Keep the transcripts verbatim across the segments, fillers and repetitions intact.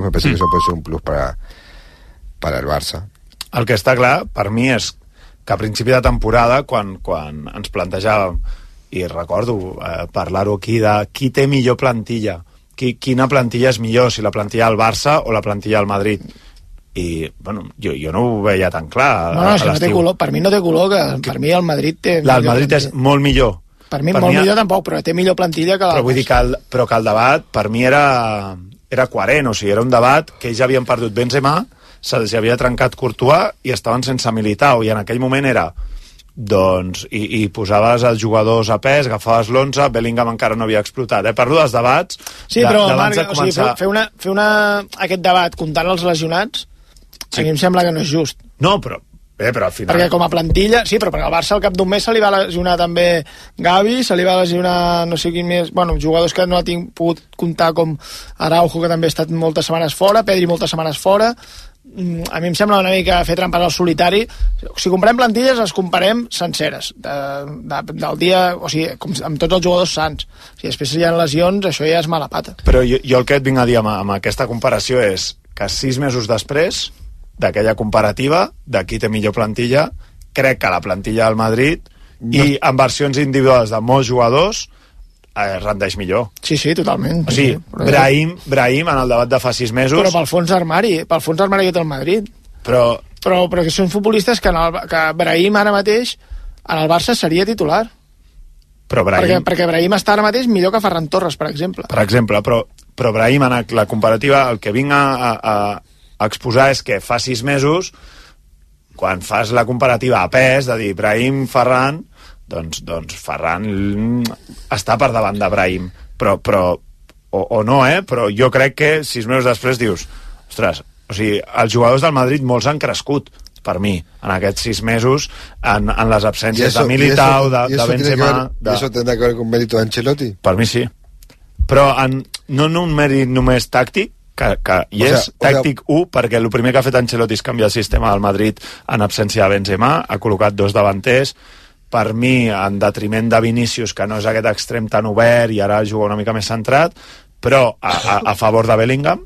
me parece mm. que eso puede ser un plus para, para el Barça. El que està clar, per mi, és que a principi de temporada, quan, quan ens plantejàvem, i recordo eh, parlar-ho aquí, de qui té millor plantilla, qui, quina plantilla és millor, si la plantilla del Barça o la plantilla del Madrid. I, bueno, jo, jo no ho veia tan clar. No, no, si no té color, per mi no té color, que per mi el Madrid té... La, el Madrid plantilla. És molt millor. Per mi per molt mi, millor tampoc, però té millor plantilla que la... Però vull dir que el, però que el debat, per mi, era, era coherent, o sigui, era un debat que ells havien perdut Benzema, se'ls havia trencat Courtois i estaven sense Militao, i en aquell moment era doncs, i, i posaves els jugadors a pes, agafaves l'onze, Bellingham encara no havia explotat, eh? Parlo dels debats sí, però de, Marc, de començar... o sigui, fer, una, fer una, aquest debat comptant els lesionats sí. A mi em sembla que no és just. No, però bé, però al final... Perquè com a plantilla, sí, però perquè al Barça al cap d'un mes se li va lesionar també Gavi, se li va lesionar no sé quin més, bueno, jugadors que no ha tinc, pogut comptar com Araujo, que també ha estat moltes setmanes fora, Pedri moltes setmanes fora. A mi em sembla una mica fer trampes al solitari. Si comprem plantilles, les comparem senceres de, de, del dia, o sigui, com, amb tots els jugadors sants. Si després hi ha lesions, això ja és mala pata. Però jo, jo el que et vinc a dir amb, amb aquesta comparació és que sis mesos després d'aquella comparativa, de qui té millor plantilla, crec que la plantilla del Madrid no. I en versions individuals de molts jugadors eh, rendeix millor. Sí, sí, totalment. O sigui, sí, Brahim, Brahim en el debat de fa sis mesos... Però pel fons d'armari, pel fons d'armari que té el Madrid. Però... Però, però que són futbolistes que, en el, que Brahim ara mateix en el Barça seria titular. Però Brahim... Perquè, perquè Brahim està ara mateix millor que Ferran Torres, per exemple. Per exemple, però, però Brahim en la comparativa, el que vinc a, a, a exposar és que fa sis mesos, quan fas la comparativa a pes, de dir Brahim, Ferran... Doncs, doncs Ferran està per davant de Brahim, però, però o, o no, eh? Però jo crec que sis mesos després dius, ostres, o sigui, els jugadors del Madrid molts han crescut, per mi, en aquests sis mesos, en, en les absències eso, de Militao, de, de Benzema... ¿Y eso tendrá que ver con mérito de Ancelotti? Per mi sí. Però en, no en un mèrit només tàctic, que, que hi és, o sea, tàctic o sea... u, perquè el primer que ha fet Ancelotti és canviar el sistema del Madrid en absència de Benzema, ha col·locat dos davanters, per mi, en detriment de Vinícius, que no és aquest extrem tan obert i ara juga una mica més centrat, però a, a, a favor de Bellingham.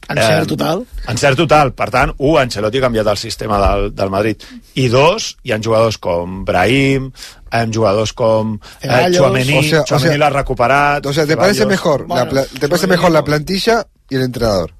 Encert total. Eh, encert total. Per tant, un, Ancelotti ha canviat el sistema del, del Madrid. I dos, hi ha jugadors com Brahim, hi ha jugadors com eh, Tchouaméni, o sea, Tchouaméni o sea, l'ha recuperat. O sea, ¿te parece mejor, bueno, la, ¿te parece mejor la plantilla y el entrenador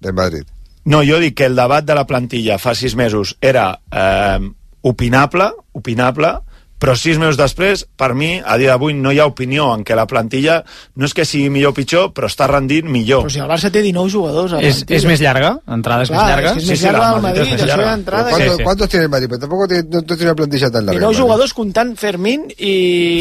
del Madrid? No, jo dic que el debat de la plantilla fa sis mesos era... Eh, opinable, opinable, però sis mesos després, per mi, a dia d'avui no hi ha opinió en què la plantilla no és que sigui millor o pitjor, però està rendint millor. Però si el Barça té dinou jugadors a la és, és més llarga? L'entrada és Clar, més llarga? És, és més sí, llarga sí, del Madrid, això hi ha entrada. ¿Cuántos, sí, sí. ¿Cuántos tiene el Madrid? Pero tampoco tiene, no, no tiene una plantilla tan larga. dinou jugadors comptant Fermín i...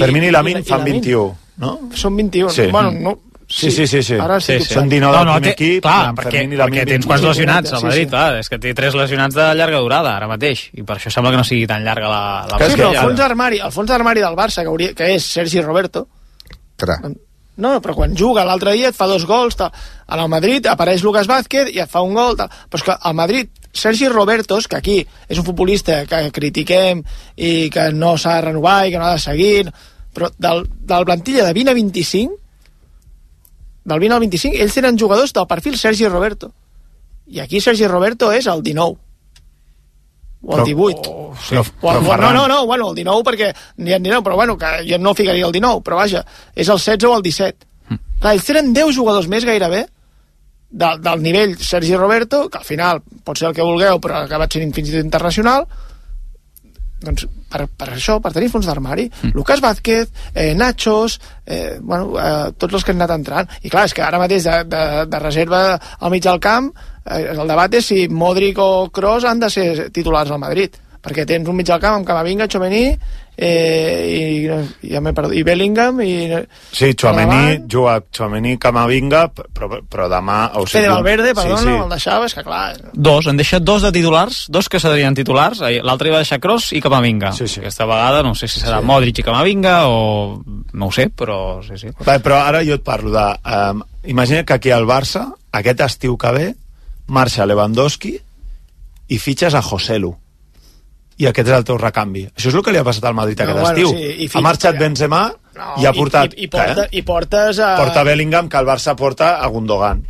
Fermín i Lamine fan vint-i-u, no? Són vint-i-u. Sí. Bueno, no... Sí, sí, sí, sí. Ara sí, sí, sí. Són dinou del no, no, primer té, equip, clar, perquè, perquè tens quants lesionats al Madrid, sí, sí. clar, és que té tres lesionats de llarga durada ara mateix, i per això sembla que no sigui tan llarga la... la sí, però el fons d'armari, el fons d'armari del Barça, que, hauria, que és Sergi Roberto, Tra. no, però quan juga l'altre dia et fa dos gols, tal. En el Madrid apareix Lucas Vázquez i et fa un gol, tal. Però és que al Madrid, Sergi Robertos, que aquí és un futbolista que critiquem i que no s'ha de renovar i que no ha de seguir, però del, de la plantilla de vint a vint-i-cinc, del vint al vint-i-cinc, ells tenen jugadors del perfil Sergi Roberto. I aquí Sergi Roberto és el dinou. O el divuit. Oh, sí, o, o, o, no, no, no, bueno, el dinou perquè n'hi ha dinou, però bueno, que jo no ficaria el dinou, però vaja, és el setze o el disset. Mm. Clar, ells tenen deu jugadors més gairebé del, del nivell Sergi Roberto, que al final pot ser el que vulgueu, però ha acabat sent fins i tot internacional. Doncs per, per això, per tenir fons d'armari, mm. Lucas Vázquez, eh, Nachos, eh, bueno, eh, tots els que han anat entrant. I clar, és que ara mateix de, de, de reserva al mig del camp, eh, el debat és si Modric o Kroos han de ser titulars al Madrid, perquè tens un mig del camp amb Camavinga, Tchouaméni, eh, i, i, i Bellingham i... Sí, Tchouaméni juga Tchouaméni, Camavinga, però, però demà... O sigui, Fede Valverde, perdona, sí, sí. el deixava, és que clar... Dos, han deixat dos de titulars, dos que serien titulars, l'altre hi va deixar Kroos i Camavinga. Sí, sí. Aquesta vegada no sé si serà sí. Modric i Camavinga o... no ho sé, però sí, sí. Va, però ara jo et parlo de... Um, imagina que aquí al Barça, aquest estiu que ve, marxa Lewandowski i fitxes a Joselu. I aquest és el teu recanvi. Això és el que li ha passat al Madrid no, aquest bueno, estiu. Sí, ha marxat Benzema no, i ha portat... I, i, i, porta, i portes a... Porta Bellingham, que el Barça porta a Gundogan.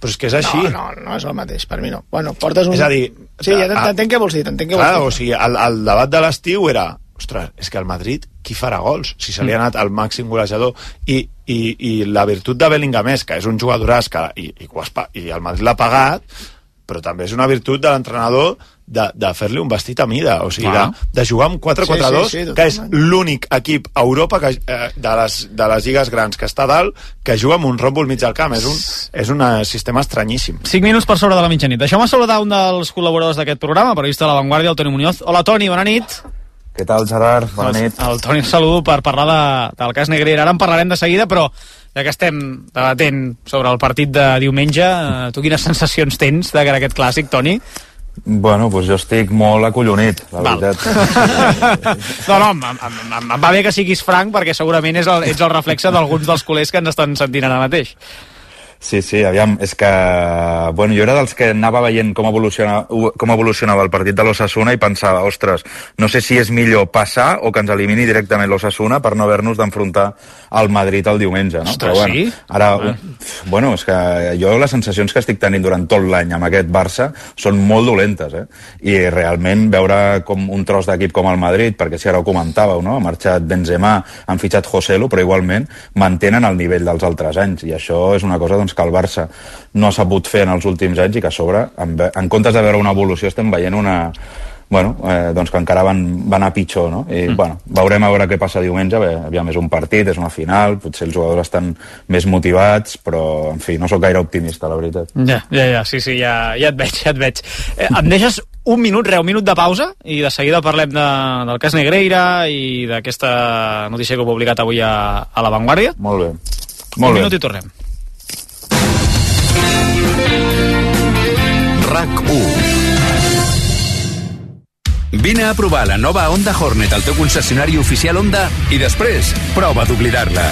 però és que és així. No, no, no és el mateix, per mi no. Bueno, portes un... És a dir... Sí, ja t'entenc què vols dir, t'entenc què vols clar, dir. o sigui, el, el debat de l'estiu era, ostres, és que el Madrid, qui farà gols? Si se li ha anat el màxim golejador. I, i, i la virtut de Bellingham és que és un jugadoràs que, i, i, i el Madrid l'ha pagat, però també és una virtut de l'entrenador de, de fer-li un vestit a mida, o sigui, de, de jugar amb quatre quatre dos, sí, sí, sí, que és l'únic equip a Europa que, eh, de, les, de les lligues grans que està dalt, que juga amb un ròmbol mig al camp. És un, és un sistema estranyíssim. cinc minuts per sobre de la mitjanit. Deixeu-me saludar un dels col·laboradors d'aquest programa, periodista de La Vanguardia, el Toni Muñoz. Hola, Toni, bona nit. Què tal, Gerard? Bona nit. El, el Toni el saludo per parlar de, del cas Negreira. Ara en parlarem de seguida, però ja que estem debatent sobre el partit de diumenge, eh, tu quines sensacions tens de cara a aquest clàssic, Toni? Bueno, doncs jo estic molt acollonit, la Val. veritat. no, no, em, em, em, em va bé que siguis franc, perquè segurament és el, ets el reflexe d'alguns dels culers que ens estan sentint ara mateix. Sí, sí, aviam, és que... Bueno, jo era dels que anava veient com, evoluciona, com evolucionava el partit de l'Osasuna i pensava, ostres, no sé si és millor passar o que ens elimini directament l'Osasuna per no haver-nos d'enfrontar al Madrid el diumenge, no? Ostres, però bueno, sí? Ara, Ah. bueno, és que jo les sensacions que estic tenint durant tot l'any amb aquest Barça són molt dolentes, eh? I realment veure com un tros d'equip com el Madrid, perquè si ara ho comentàveu, no? Ha marxat Benzema, han fitxat Joselu, però igualment mantenen el nivell dels altres anys, i això és una cosa, doncs, que el Barça no ha sabut fer en els últims anys i que a sobre, en, en comptes de veure una evolució, estem veient una... Bueno, eh, doncs que encara van, van anar pitjor, no? I, mm. bueno, veurem a veure què passa diumenge. Bé, aviam, és un partit, és una final, potser els jugadors estan més motivats, però, en fi, no sóc gaire optimista, la veritat. Ja, ja, ja, sí, sí, ja, ja et veig, ja et veig. Eh, em deixes un minut, Reu, un minut de pausa, i de seguida parlem de, del cas Negreira i d'aquesta notícia que heu publicat avui a, a La Vanguardia. Molt bé. Molt un bé. minut i tornem. RAC u. Vine a provar la nova Honda Hornet al teu concessionari oficial Honda i després prova d'oblidar-la.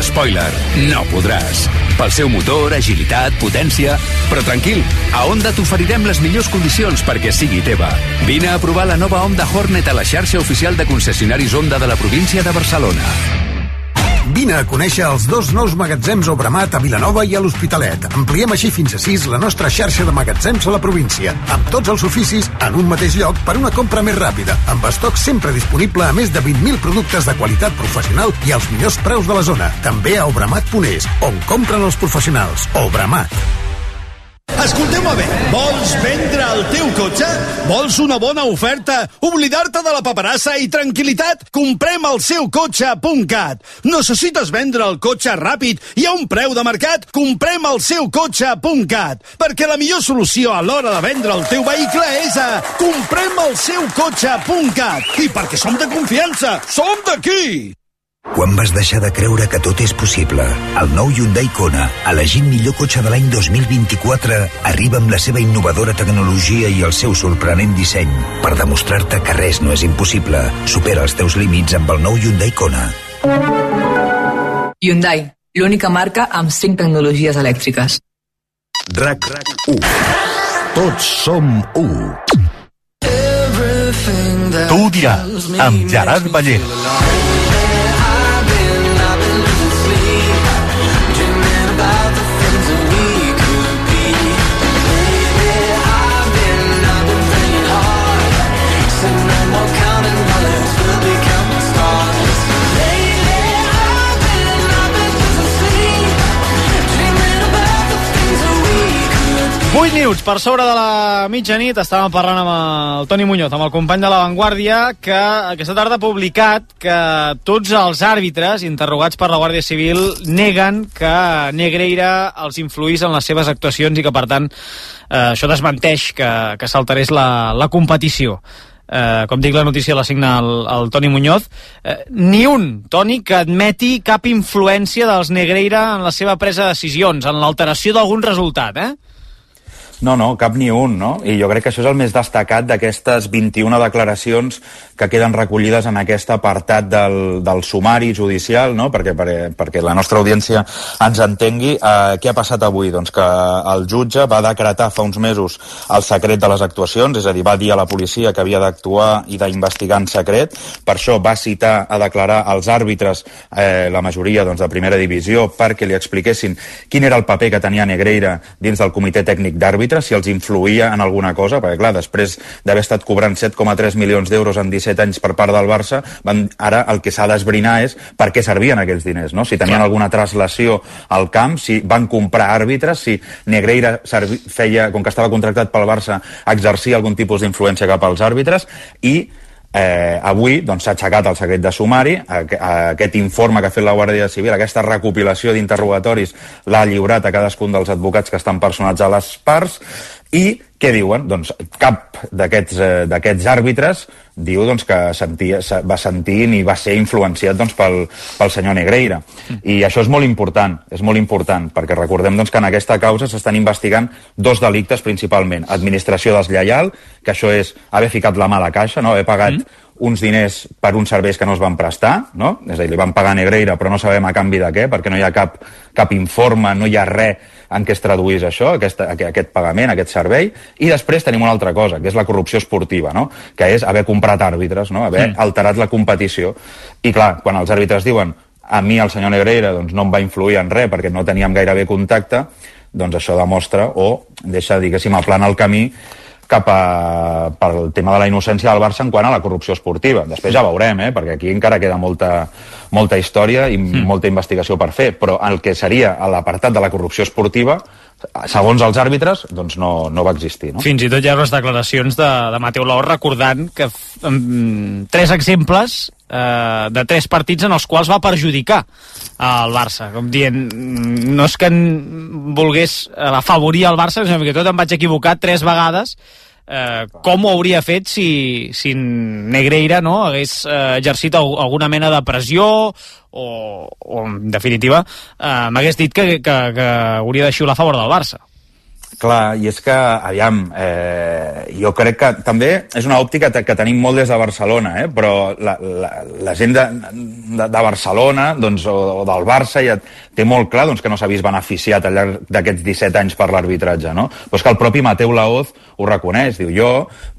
Spoiler, no podràs. Pel seu motor, agilitat, potència... Però tranquil, a Honda t'oferirem les millors condicions perquè sigui teva. Vine a provar la nova Honda Hornet a la xarxa oficial de concessionaris Honda de la província de Barcelona. Vine a conèixer els dos nous magatzems Obramat a Vilanova i a l'Hospitalet. Ampliem així fins a sis la nostra xarxa de magatzems a la província, amb tots els oficis en un mateix lloc per una compra més ràpida, amb estoc sempre disponible a més de vint mil productes de qualitat professional i als millors preus de la zona. També a obramat punt es, on compren els professionals. Obramat. Escolteu-me bé, vols vendre el teu cotxe? Vols una bona oferta? Oblidar-te de la paperassa i tranquil·litat? Comprem el seu cotxe punt cat. Necessites vendre el cotxe ràpid i a un preu de mercat? Comprem el seu cotxe punt cat. Perquè la millor solució a l'hora de vendre el teu vehicle és a comprem el seu cotxe punt cat. I perquè som de confiança, som d'aquí! Quan vas deixar de creure que tot és possible? El nou Hyundai Kona, elegit millor cotxe de l'any dos mil vint-i-quatre, arriba amb la seva innovadora tecnologia i el seu sorprenent disseny per demostrar-te que res no és impossible. Supera els teus límits amb el nou Hyundai Kona. Hyundai, l'única marca amb cinc tecnologies elèctriques. RAC u. Tots som u. Tu ho diràs, amb Gerard Ballén. vuit minuts per sobre de la mitjanit. Estàvem parlant amb el Toni Muñoz, amb el company de La Vanguardia, que aquesta tarda ha publicat que tots els àrbitres interrogats per la Guàrdia Civil neguen que Negreira els influís en les seves actuacions i que, per tant, eh, això desmenteix que, que s'alterés la, la competició. Eh, com dic, la notícia la signa el, el Toni Muñoz. Eh, ni un, Toni, que admeti cap influència dels Negreira en la seva presa de decisions, en l'alteració d'algun resultat, eh? No, no, cap ni un, no? I jo crec que això és el més destacat d'aquestes vint-i-una declaracions que queden recollides en aquest apartat del, del sumari judicial, no? Perquè, perquè, perquè la nostra audiència ens entengui. Eh, què ha passat avui? Doncs que el jutge va decretar fa uns mesos el secret de les actuacions, és a dir, va dir a la policia que havia d'actuar i d'investigar en secret. Per això va citar a declarar els àrbitres, eh, la majoria doncs, de primera divisió, perquè li expliquessin quin era el paper que tenia Negreira dins del comitè tècnic d'àrbitres, si els influïa en alguna cosa, perquè clar, després d'haver estat cobrant set coma tres milions d'euros en disset anys per part del Barça, van, ara el que s'ha d'esbrinar és per què servien aquells diners, no? Si tenien alguna translació al camp, si van comprar àrbitres, si Negreira servi, feia, com que estava contractat pel Barça, exercia algun tipus d'influència cap als àrbitres, i Eh, avui doncs, s'ha aixecat el secret de sumari. a, a aquest informe que ha fet la Guàrdia Civil, aquesta recopilació d'interrogatoris, l'ha lliurat a cadascun dels advocats que estan personats a les parts. I què diuen? Doncs cap d'aquests eh, d'aquests àrbitres diu doncs, que sentia, va sentir ni va ser influenciat doncs, pel, pel senyor Negreira. I això és molt important, és molt important, perquè recordem doncs, que en aquesta causa s'estan investigant dos delictes principalment. Administració deslleial, que això és haver ficat la mà a la caixa, no? Haver pagat mm. uns diners per uns serveis que no es van prestar, no? És a dir, li van pagar a Negreira, però no sabem a canvi de què, perquè no hi ha cap, cap informe, no hi ha res en què es traduís això, aquest, aquest pagament, aquest servei. I després tenim una altra cosa, que és la corrupció esportiva, no? Que és haver comprat àrbitres, no? Haver mm. alterat la competició. I clar, quan els àrbitres diuen a mi el senyor Negreira doncs, no em va influir en res perquè no teníem gairebé contacte, doncs això demostra o deixa, diguéssim, aplana el camí cap a, pel tema de la innocència del Barça en quant a la corrupció esportiva. Després ja veurem, eh? Perquè aquí encara queda molta, molta història i mm. molta investigació per fer, però el que seria l'apartat de la corrupció esportiva, segons els àrbitres, doncs no, no va existir. No? Fins i tot hi ha les declaracions de, de Mateu Laoz recordant que um, tres exemples uh, de tres partits en els quals va perjudicar al Barça, com dient no és que volgués afavorir el Barça, sinó que tot em vaig equivocar tres vegades. Eh, com ho hauria fet si, si Negreira no, hagués eh, exercit alguna mena de pressió o, o en definitiva eh, m'hagués dit que, que, que hauria de xiular a favor del Barça. Clar, i és que, aviam, eh, jo crec que també és una òptica que tenim molt des de Barcelona, eh? Però la, la, la gent de, de, de Barcelona doncs, o, o del Barça ja té molt clar doncs, que no s'ha vist beneficiat al llarg d'aquests disset anys per l'arbitratge, no? Però és que el propi Mateu Laoz ho reconeix, diu jo,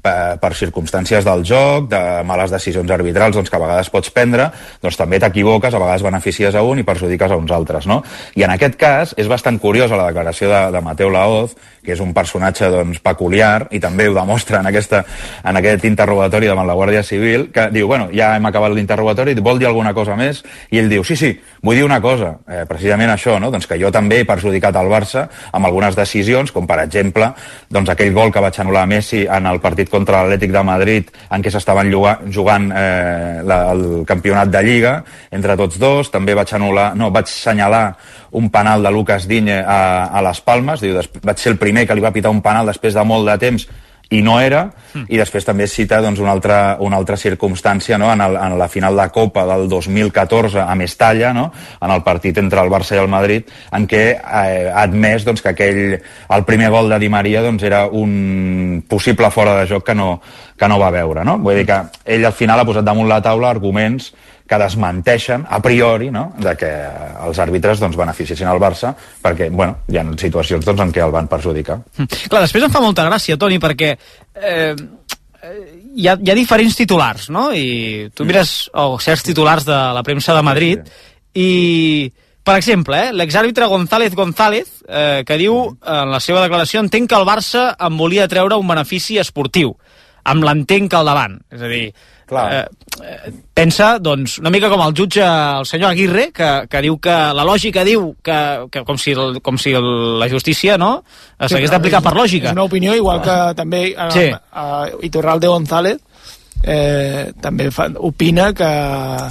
per, per circumstàncies del joc, de males decisions arbitrals doncs, que a vegades pots prendre, doncs també t'equivoques, a vegades beneficies a un i perjudiques a uns altres, no? I en aquest cas és bastant curiosa la declaració de, de Mateu Laoz, que és un personatge doncs, peculiar, i també ho demostra en, aquesta, en aquest interrogatori davant la Guàrdia Civil, que diu, bueno, ja hem acabat l'interrogatori, vol dir alguna cosa més? I ell diu, sí, sí, vull dir una cosa, eh, precisament això, no? Doncs que jo també he perjudicat el Barça amb algunes decisions, com per exemple, doncs aquell gol que vaig anul·lar a Messi en el partit contra l'Atlètic de Madrid, en què s'estaven jugant eh, la, el campionat de Lliga, entre tots dos, també vaig anul·lar, no, vaig assenyalar un penal de Lucas Digne a, a les Palmes, diu, vaig ser el primer que li va pitar un penal després de molt de temps i no era, mm. i després també cita doncs, una, altra, una altra circumstància, no? en, el, en la final de Copa del dos mil catorze a Mestalla, no? En el partit entre el Barça i el Madrid, en què eh, ha admès doncs, que aquell, el primer gol de Di Maria doncs, era un possible fora de joc que no, que no va veure. No? Vull dir que ell al final ha posat damunt la taula arguments que desmenteixen a priori, no? De que els àrbitres doncs, beneficiessin el Barça perquè bueno, hi ha situacions doncs, en què el van perjudicar. Mm. Clar, després em fa molta gràcia, Toni, perquè eh, hi, ha, hi ha diferents titulars, no? I tu mires oh, certs titulars de la premsa de Madrid sí, sí. I, per exemple, eh, l'exàrbitre González González eh, que diu en la seva declaració entenc que el Barça em volia treure un benefici esportiu, amb l'entenc al davant, és a dir, Eh, eh, pensa, doncs, una mica com el jutge, el senyor Aguirre, que, que diu que la lògica diu que, que com si, el, com si el, la justícia no s'hagués sí, d'aplicar per lògica. És una opinió, igual que també a, sí. a, a Iturralde González eh, també fa, opina que,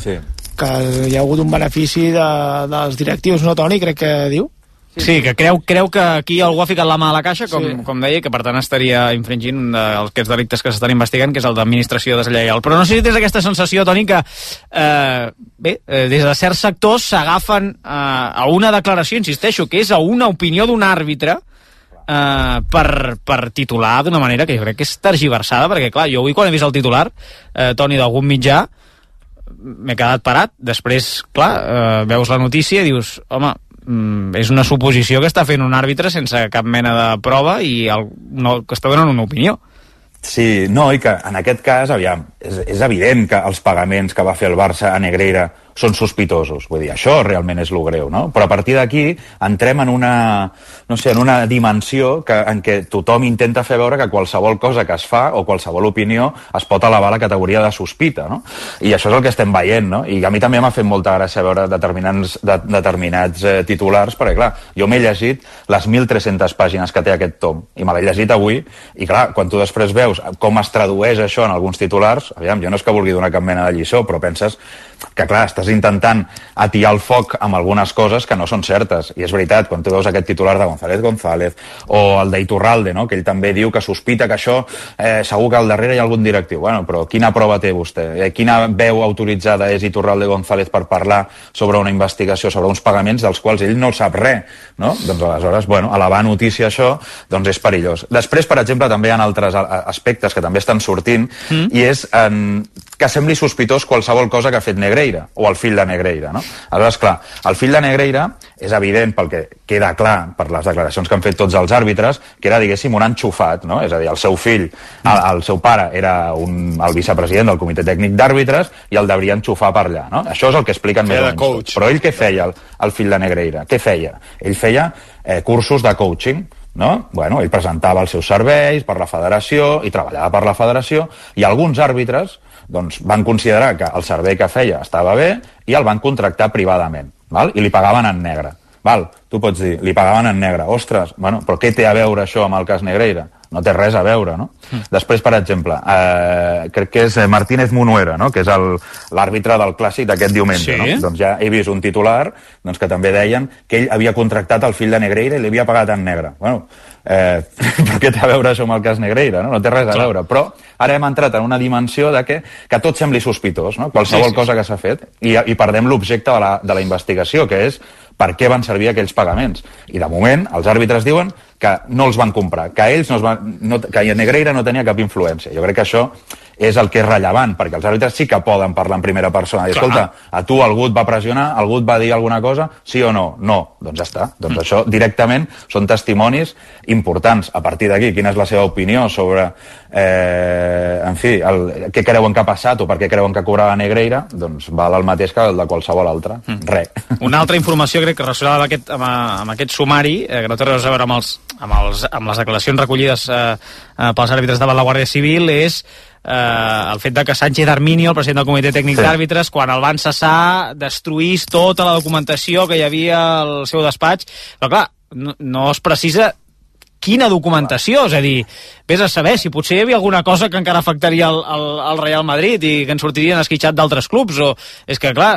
sí. que hi ha hagut un benefici de, dels directius, no, Toni, crec que diu? Sí, que creu, creu que aquí algú ha ficat la mà a la caixa, com, sí. com deia, que per tant estaria infringint un d'aquests delictes que s'estan investigant, que és el d'administració deslleial. Però no sé si tens aquesta sensació, Toni, que eh, bé, eh, des de certs sectors s'agafen eh, a una declaració, insisteixo, que és a una opinió d'un àrbitre, eh, per, per titular d'una manera que jo crec que és tergiversada, perquè clar, jo avui quan he vist el titular, eh, Toni, d'algun mitjà, m'he quedat parat. Després, clar, eh, veus la notícia i dius, home, mm, és una suposició que està fent un àrbitre sense cap mena de prova i el, no, que està donant una opinió. Sí, no, i que en aquest cas, aviam, és, és evident que els pagaments que va fer el Barça a Negreira són sospitosos, vull dir, això realment és lo greu, no? Però a partir d'aquí entrem en una, no sé, en una dimensió que, en què tothom intenta fer veure que qualsevol cosa que es fa o qualsevol opinió es pot elevar a la categoria de sospita, no? I això és el que estem veient, no? I a mi també m'ha fet molta gràcia veure determinats, de, determinats eh, titulars, perquè clar, jo m'he llegit les mil tres-centes pàgines que té aquest tom, i me l'he llegit avui, i clar, quan tu després veus com es tradueix això en alguns titulars, aviam, jo no és que vulgui donar cap mena de lliçó, però penses que clar, estàs intentant atiar el foc amb algunes coses que no són certes, i és veritat, quan tu veus aquest titular de González González o el d'Iturralde, no? Que ell també diu que sospita que això eh, segur que al darrere hi ha algun directiu. Bueno, però quina prova té vostè? Eh, quina veu autoritzada és Iturralde González per parlar sobre una investigació, sobre uns pagaments dels quals ell no sap res, no? Doncs aleshores, bueno, elevar notícia això, doncs és perillós. Després, per exemple, també hi ha altres aspectes que també estan sortint, mm. i és en, que sembli sospitós qualsevol cosa que ha fet Negreira, o el fill de Negreira, no? Aleshores, clar, el fill de Negreira és evident, pel que queda clar per les declaracions que han fet tots els àrbitres, que era, diguéssim, un enxufat, no? És a dir, el seu fill, el, el seu pare era un, el vicepresident del comitè tècnic d'àrbitres i el devia enxufar per allà, no? Això és el que expliquen més o menys. Però ell què feia, el, el fill de Negreira? Què feia? Ell feia eh, cursos de coaching, no? Bueno, ell presentava els seus serveis per la federació i treballava per la federació, i alguns àrbitres doncs, van considerar que el servei que feia estava bé i el van contractar privadament, val? I li pagaven en negre. Val? Tu pots dir, li pagaven en negre. Ostres, bueno, però què té a veure això amb el cas Negreira? No té res a veure, no? Mm. Després, per exemple, eh, crec que és Martínez Munuera, no? Que és l'àrbitre del clàssic d'aquest diumenge, sí? No? Doncs ja he vist un titular doncs, que també deien que ell havia contractat el fill de Negreira i li havia pagat en negre. Bueno, eh, però què té a veure això amb el cas Negreira? No, no té res a veure. Però ara hem entrat en una dimensió de que, que tot sembli sospitós, no? Qualsevol sí, sí, cosa que s'ha fet, i, i perdem l'objecte de, la, de la investigació, que és per què van servir aquells pagaments. I de moment els àrbitres diuen que no els van comprar, que ells no es van, no, que Negreira no tenia cap influència. Jo crec que això és el que és rellevant, perquè els àrbitres sí que poden parlar en primera persona. I, escolta, a tu algú et va pressionar, algú et va dir alguna cosa, sí o no? No. Doncs ja està. Doncs mm. això directament són testimonis importants. A partir d'aquí, quina és la seva opinió sobre, eh, en fi, el, què creuen que ha passat o per què creuen que cobrava Negreira, doncs val el mateix que el de qualsevol altre. Mm. Res. Una altra informació, crec que relacionada amb aquest, amb, amb aquest sumari, eh, que no té res a veure amb, els, amb, els, amb les declaracions recollides eh, eh, pels àrbitres davant la Guàrdia Civil, és eh, el fet de que Sánchez Arminio, el president del comitè tècnic sí. d'àrbitres, quan el van cessar, destruís tota la documentació que hi havia al seu despatx. Però clar, no, no es precisa quina documentació, és a dir, vés a saber si potser hi havia alguna cosa que encara afectaria el, el, el Real Madrid i que ens sortirien esquitxat d'altres clubs, o és que clar,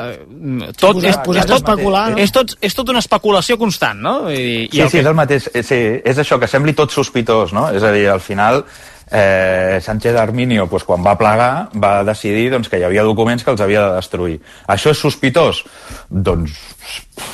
tot és, és, és, tot, especular, no? és, tot, és tot una especulació constant, no? I, i sí, sí, que... és el mateix, sí, és això, que sembli tot sospitós, no? És a dir, al final eh, Sánchez Arminio, pues, quan va plegar, va decidir doncs, que hi havia documents que els havia de destruir. Això és sospitós? Doncs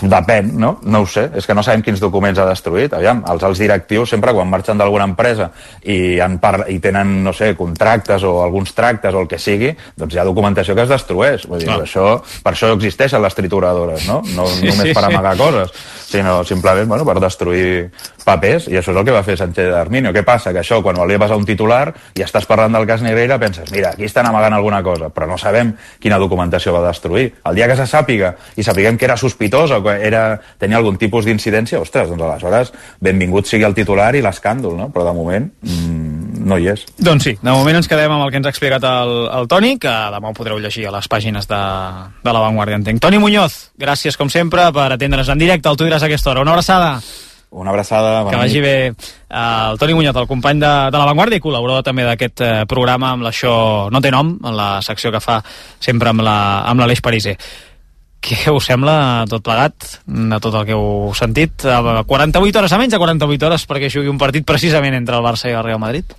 depèn, no? No ho sé, és que no sabem quins documents ha destruït. Aviam, els alts directius sempre quan marxen d'alguna empresa i, en par i tenen, no sé, contractes o alguns tractes o el que sigui, doncs hi ha documentació que es destrueix. Vull dir, no. això, per això existeixen les trituradores, no? No sí, només per amagar sí. coses, sinó simplement, bueno, per destruir papers, i això és el que va fer Sánchez Arminio. Què passa? Que això, quan volia passar un titular i estàs parlant del cas Negreira, penses, mira, aquí estan amagant alguna cosa, però no sabem quina documentació va destruir. El dia que se sàpiga i sapiguem que era sospitós o que era, tenia algun tipus d'incidència, ostres, doncs aleshores benvingut sigui el titular i l'escàndol, no? Però de moment mmm, no hi és. Doncs sí, de moment ens quedem amb el que ens ha explicat el, el Toni, que demà ho podreu llegir a les pàgines de, de La Vanguardia, entenc. Toni Muñoz, gràcies com sempre per atendre's en directe, el Tu diràs a aquesta hora. Una abraçada. Una abraçada. Que vagi bé. El Toni Muñoz, el company de, de La Vanguardia i col·laborador també d'aquest eh, programa amb l'Això no té nom, en la secció que fa sempre amb l'Aleix Pariser. Què us sembla tot plegat, de tot el que heu sentit? quaranta-vuit hores a menys de quaranta-vuit hores perquè jugui un partit precisament entre el Barça i el Real Madrid?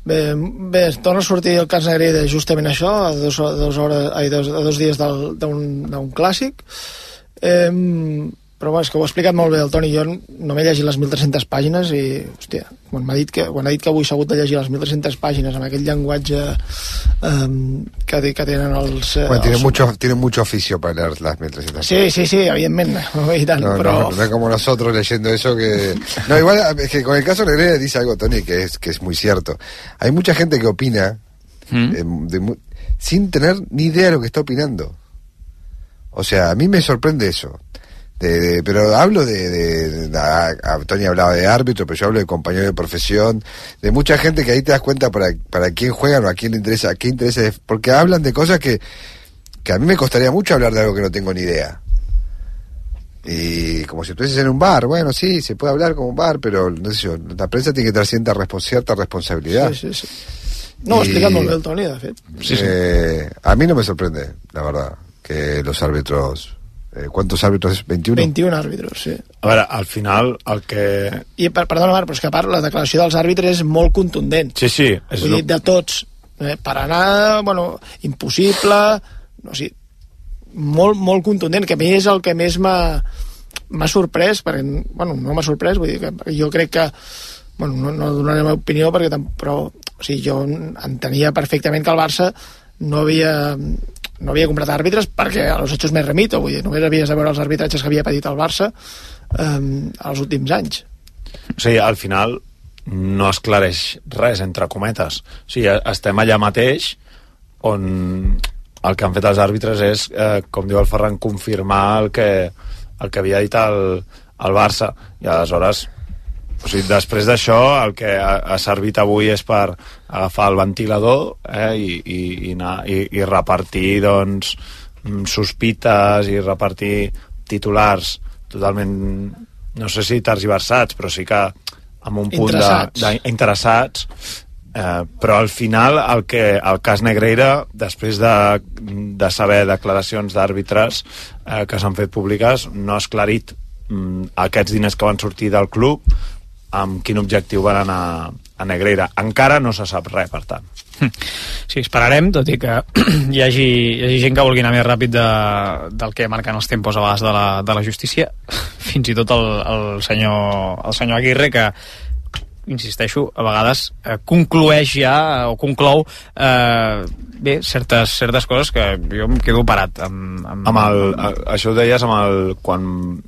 Bé, bé torna a sortir el cas Negreira justament això, a dos, a dos, hores, ai, dos, a dos dies d'un clàssic. Eh, Però bueno, és que ho ha explicat molt bé el Toni. Jo no m'he llegit les mil tres-centes pàgines i, hòstia, quan m'ha dit que, quan ha dit que avui s'ha hagut de llegir les mil tres-centes pàgines amb aquell llenguatge um, que, que tenen els... Bueno, tiene, els... mucho, tiene mucho oficio para leer las mil trescientas. Sí, sí, sí, evidentemente. Y tal, no, pero... no, no es como nosotros leyendo eso que... No, igual, es que con el caso de Negreira dice algo, Tony, que es, que es muy cierto. Hay mucha gente que opina ¿Mm? de, de, sin tener ni idea de lo que está opinando. O sea, a mí me sorprende eso. De, de, pero hablo de, de, de a, a, Tony hablaba de árbitro, pero yo hablo de compañero de profesión, de mucha gente que ahí te das cuenta para, para quién juegan o a quién le interesa, a qué interesa, porque hablan de cosas que, que a mí me costaría mucho hablar de algo que no tengo ni idea. Y como si estuvieses en un bar, bueno, sí, se puede hablar como un bar, pero no sé yo, la prensa tiene que tener cierta, respons- cierta responsabilidad. Sí, sí, sí. No, explica molt bé el Toni, de fet. Sí, sí. Eh, a mí no me sorprende, la verdad, que los árbitros... Eh, ¿Cuántos árbitros? ¿veintiuno? veintiuno àrbitres, sí. A veure, al final el que... I, per, perdona, Marc, però és que a part la declaració dels àrbitres és molt contundent. Sí, sí. És Vull lo... dir, de tots. Eh, per anar, bueno, impossible, no sé, molt, molt contundent, que a mi és el que més m'ha, m'ha sorprès, perquè, bueno, no m'ha sorprès, vull dir que jo crec que, bueno, no, no donaré la meva opinió, perquè tam, però, o sigui, jo entenia perfectament que el Barça no havia... no havia comprat àrbitres perquè a los hechos me remito, vull dir, només havies de veure els arbitratges que havia patit el Barça um, els últims anys. O sigui, al final no esclareix res, entre cometes. O sigui, estem allà mateix on el que han fet els àrbitres és, eh, com diu el Ferran, confirmar el que, el que havia dit el, el Barça. I aleshores, o sigui, després d'això, el que ha, ha servit avui és per agafar el ventilador eh, i, i, i, anar, i, i repartir, doncs, sospites i repartir titulars totalment, no sé si tergiversats, però sí que amb un punt interessats. de, de interessats. Eh, però al final el, que, el cas Negreira, després de, de saber declaracions d'àrbitres eh, que s'han fet públiques, no ha esclarit mm, aquests diners que van sortir del club, amb quin objectiu van anar a Negreira. Encara no se sap res, per tant. Sí, esperarem, tot i que hi hagi, hi hagi gent que vulgui anar més ràpid de, del que marquen els tempos a vegades de la, de la justícia, fins i tot el, el, senyor, el senyor Aguirre, que insisteixo, a vegades eh, conclueix ja, o conclou eh, bé, certes, certes coses que jo em quedo parat amb, amb... amb el, això ho deies amb el quan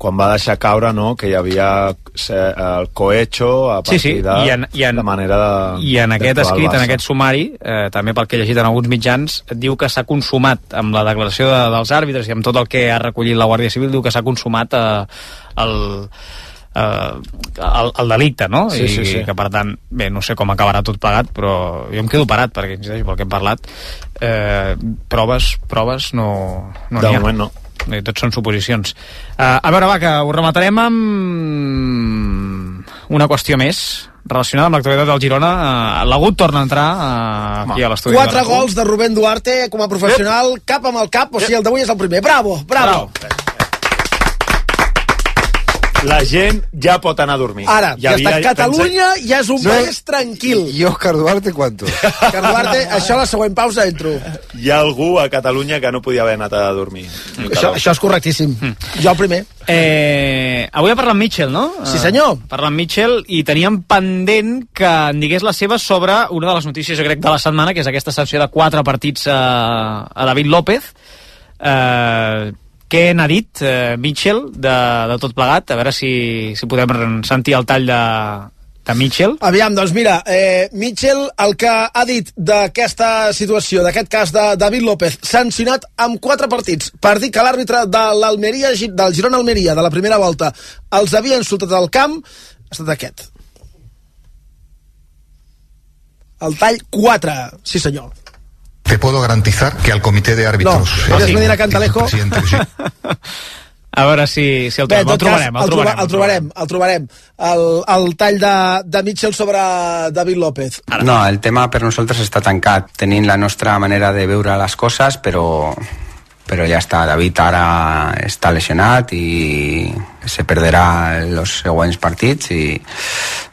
quan va deixar caure, no?, que hi havia el cohecho a partir sí, sí. de, I en, i en, de manera de... I en aquest escrit, en aquest sumari, eh, també pel que he llegit en alguns mitjans, diu que s'ha consumat amb la declaració de, dels àrbitres i amb tot el que ha recollit la Guàrdia Civil, diu que s'ha consumat eh, el, eh, el, el delicte, no? Sí, I, sí, sí. I que, per tant, bé, no sé com acabarà tot plegat, però jo em quedo parat, perquè, insisteixo, pel que hem parlat, eh, proves, proves no, no de n'hi ha. moment no. Tots són suposicions. Uh, a veure, va, que ho rematarem amb una qüestió més relacionada amb l'actualitat del Girona. Uh, L'Agut torna a entrar uh, aquí a l'estudi. Quatre gols de Rubén Duarte com a professional, Ep. cap amb el cap, o sigui, el d'avui és el primer. Bravo, bravo. bravo. La gent ja pot anar a dormir. Ara, ja, ja està. Catalunya pensé... ja és un no. país tranquil. I Òscar Duarte, ¿cuánto? Òscar Duarte, això a la següent pausa entro. Hi ha algú a Catalunya que no podia haver anat a dormir. Això, això és correctíssim. Mm. Jo el primer. Eh, avui ha parlat Mitchell, no? Sí, senyor. Uh, parlant Mitchell, i teníem pendent que en digués la seva sobre una de les notícies, jo crec, de la setmana, que és aquesta sanció de quatre partits a, a David López. Eh... Què n'ha dit eh, Mitchell de, de tot plegat? A veure si, si podem sentir el tall de, de Mitchell. Aviam, doncs mira, eh, Mitchell el que ha dit d'aquesta situació, d'aquest cas de David López, sancionat amb quatre partits per dir que l'àrbitre de l'Almeria, del Girona-Almeria de la primera volta els havia insultat al camp, ha estat aquest. El tall quatre, sí senyor. Te puedo garantizar que al comité de árbitros... No, Àlex Medina Cantalejo... Sí. A veure si, si el, Bé, el, trobarem, cas, el, trobarem, el, el trobarem. El trobarem, el, el tall de, de Mitchell sobre David López. No, el tema per nosaltres està tancat. Tenim la nostra manera de veure les coses, però, però ja està. David ara està lesionat i se perderà els següents partits i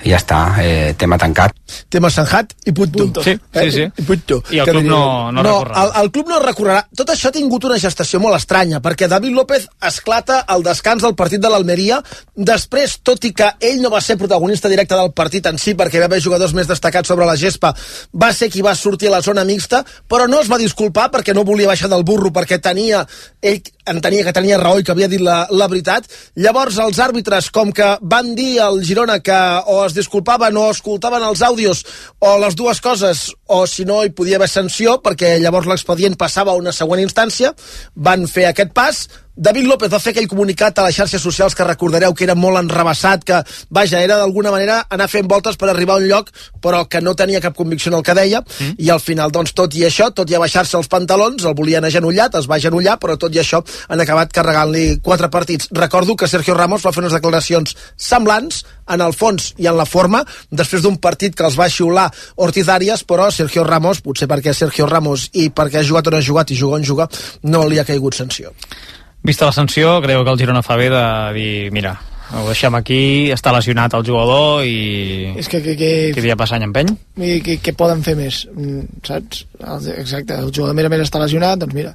i ja està, eh, tema tancat. Tema sanjat i punto. Sí, sí, sí. I punto. I el club no, no, no recorrerà. El, el club no recorrerà. Tot això ha tingut una gestació molt estranya, perquè David López esclata al descans del partit de l'Almeria. Després, tot i que ell no va ser protagonista directe del partit en si, perquè va haver jugadors més destacats sobre la gespa, va ser qui va sortir a la zona mixta, però no es va disculpar perquè no volia baixar del burro, perquè tenia, ell entenia que tenia raó i que havia dit la, la veritat. Llavors els àrbitres, com que van dir al Girona que o es disculpaven o escoltaven els àudios o les dues coses, o si no hi podia haver sanció, perquè llavors l'expedient passava a una següent instància, van fer aquest pas. David López va fer aquell comunicat a les xarxes socials que recordareu que era molt enrabassat, que, vaja, era d'alguna manera anar fent voltes per arribar a un lloc, però que no tenia cap convicció en el que deia, mm. i al final, doncs, tot i això, tot i abaixar-se els pantalons, el volien agenollat, es va agenollar, però tot i això han acabat carregant-li quatre partits. Recordo que Sergio Ramos va fer unes declaracions semblants, en el fons i en la forma, després d'un partit que els va xiular Ortiz Arias, però Sergio Ramos, potser perquè Sergio Ramos i perquè ha jugat on ha jugat i juga on juga, no li ha caigut sanció. Vista la sanció, creu que el Girona fa bé de dir, mira, ho deixem aquí, està lesionat el jugador i... És que... que, que... Què dia passa any empeny? I què, què poden fer més, saps? Exacte, el jugador més està lesionat, doncs mira.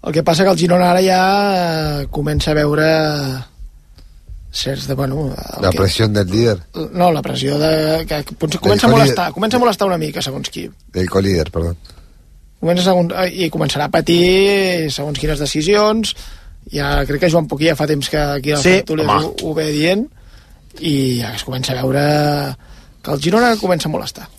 El que passa que el Girona ara ja comença a veure certs de, bueno... La que... pressió del líder. No, la pressió de... que comença a molestar, comença a molestar una mica, segons qui. El colíder, perdó. Comença segons, i començarà a patir segons quines decisions. Ja crec que Joan Poquí ja fa temps que aquí al sí, Tertúlia ho, ho ve dient, i ja es comença a veure que el Girona comença a molestar.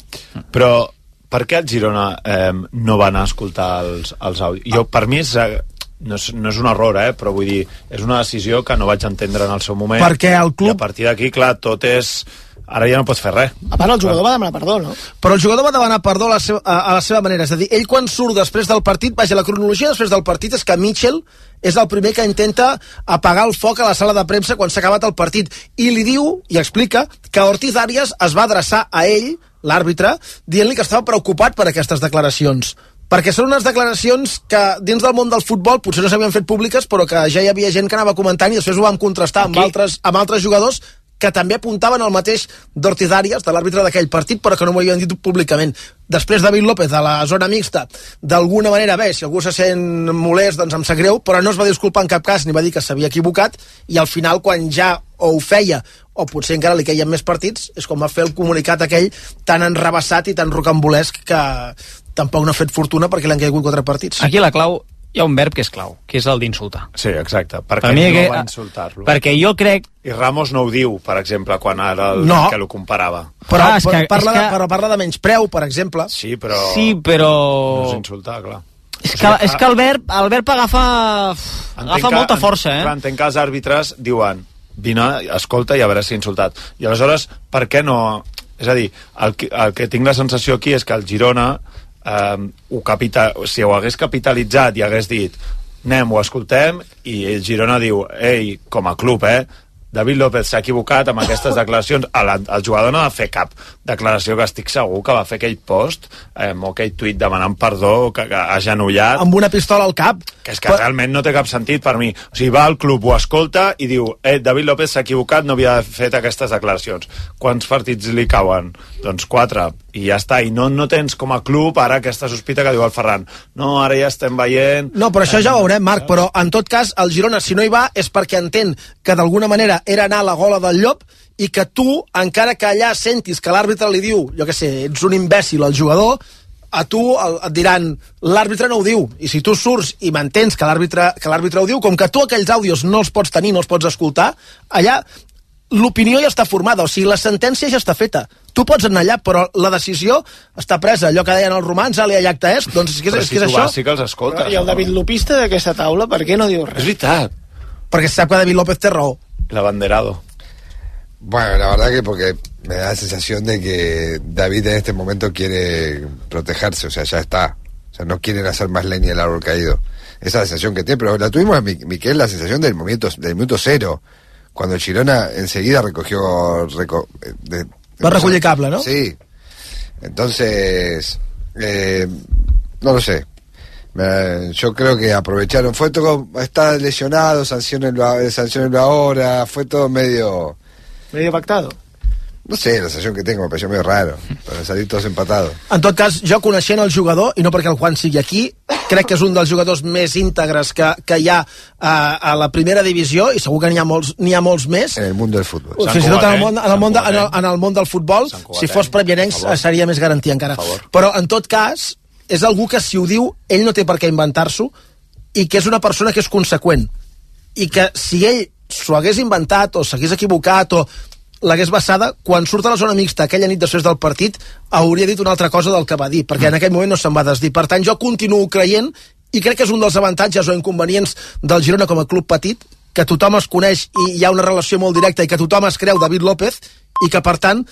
Però per què el Girona eh, no va anar a escoltar els, els àudios? Jo, per mi és, no, és, no és un error, eh, però vull dir, és una decisió que no vaig entendre en el seu moment, perquè el club... i a partir d'aquí, clar, tot és... Ara ja no pots fer res. A part, el jugador va demanar perdó, no? Però el jugador va demanar perdó a la, seva, a, a la seva manera. És a dir, ell quan surt després del partit, vaja, la cronologia després del partit és que Mitchell és el primer que intenta apagar el foc a la sala de premsa quan s'ha acabat el partit. I li diu, i explica, que Ortiz Arias es va adreçar a ell, l'àrbitre, dient-li que estava preocupat per aquestes declaracions. Perquè són unes declaracions que dins del món del futbol potser no s'havien fet públiques, però que ja hi havia gent que anava comentant i després ho vam contrastar amb altres, amb altres jugadors que també apuntaven al mateix d'Ortiz Arias, de l'àrbitre d'aquell partit, però que no m'ho havien dit públicament. Després David López, a la zona mixta, d'alguna manera, bé, si algú se sent molest, doncs em sap greu, però no es va disculpar en cap cas, ni va dir que s'havia equivocat, i al final, quan ja o ho feia, o potser encara li queien més partits, és com va fer el comunicat aquell tan enrabassat i tan rocambolesc que tampoc no ha fet fortuna perquè li han caigut quatre partits. Aquí la clau, hi ha un verb que és clau, que és el d'insultar. Sí, exacte. Per, per què no que, va insultar-lo? Perquè jo crec... I Ramos no ho diu, per exemple, quan ara el, no. que lo comparava. Però, ah, però, que, parla que... de, però parla de menyspreu, per exemple. Sí, però... Sí, però... No és insultar, clar. És que, és que el verb, el verb agafa, agafa que, molta força, eh? Clar, entenc que els àrbitres diuen vine, escolta i a veure si ha insultat. I aleshores, per què no... És a dir, el que, el que tinc la sensació aquí és que el Girona, eh, ho capita... si ho hagués capitalitzat i hagués dit anem, ho escoltem, i el Girona diu ei, com a club, eh, David López s'ha equivocat amb aquestes declaracions. El, el jugador no va fer cap declaració, que estic segur que va fer aquell post eh, o aquell tuit demanant perdó, que, que agenollat. Amb una pistola al cap. Que és que però... realment no té cap sentit per mi. O sigui, va al club, ho escolta i diu eh, David López s'ha equivocat, no havia fet aquestes declaracions. Quants partits li cauen? Doncs quatre. I ja està. I no, no tens com a club ara aquesta sospita que diu el Ferran. No, ara ja estem veient... No, però això ja ho veurem, Marc, però en tot cas el Girona, si no hi va, és perquè entén que d'alguna manera era anar a la gola del llop i que tu, encara que allà sentis que l'àrbitre li diu, jo què sé, ets un imbècil al jugador, a tu el, et diran l'àrbitre no ho diu, i si tu surts i mantens que l'àrbitre que l'àrbitre ho diu, com que tu aquells àudios no els pots tenir, no els pots escoltar, allà l'opinió ja està formada, o sigui, la sentència ja està feta. Tu pots anar allà, però la decisió està presa. Allò que deien els romans, alia iacta est, doncs és que és, és, que és això. Sí que els escolta. I el David Lopista d'aquesta taula, per què no diu res? És veritat. Perquè sap que David López té raó. El abanderado. Bueno, la verdad que porque me da la sensación de que David en este momento quiere protegerse, o sea, ya está. O sea, no quieren hacer más leña del árbol caído. Esa es la sensación que tiene, pero la tuvimos a Miquel, la sensación del momento, del minuto cero, cuando el Girona enseguida recogió... Reco, de, de, Va recollir cable, ¿no? Sí. Entonces, eh, no lo sé. Eh, yo creo que aprovecharon, fue todo, está lesionado, sancionenlo, sancionenlo ahora, fue todo medio... Medio pactado. No sé, la sensación que tengo me pareció medio raro, para salir todos empatados. En tot cas, jo coneixent el jugador, i no perquè el Juan sigui aquí, crec que és un dels jugadors més íntegres que, que hi ha a, a la primera divisió, i segur que n'hi ha molts, n'hi ha molts més. En el món del futbol. Fins i tot en el món, en el món, de, en el, en el món del futbol, si fos previanencs seria més garantia encara. Però en tot cas, és algú que si ho diu, ell no té per què inventar-s'ho, i que és una persona que és conseqüent. I que si ell s'ho hagués inventat, o s'hagués equivocat, o l'hagués basada, quan surt a la zona mixta aquella nit després del partit, hauria dit una altra cosa del que va dir, perquè en aquell moment no se'n va desdir. Per tant, jo continuo creient, i crec que és un dels avantatges o inconvenients del Girona com a club petit, que tothom es coneix i hi ha una relació molt directa i que tothom es creu David López, i que, per tant,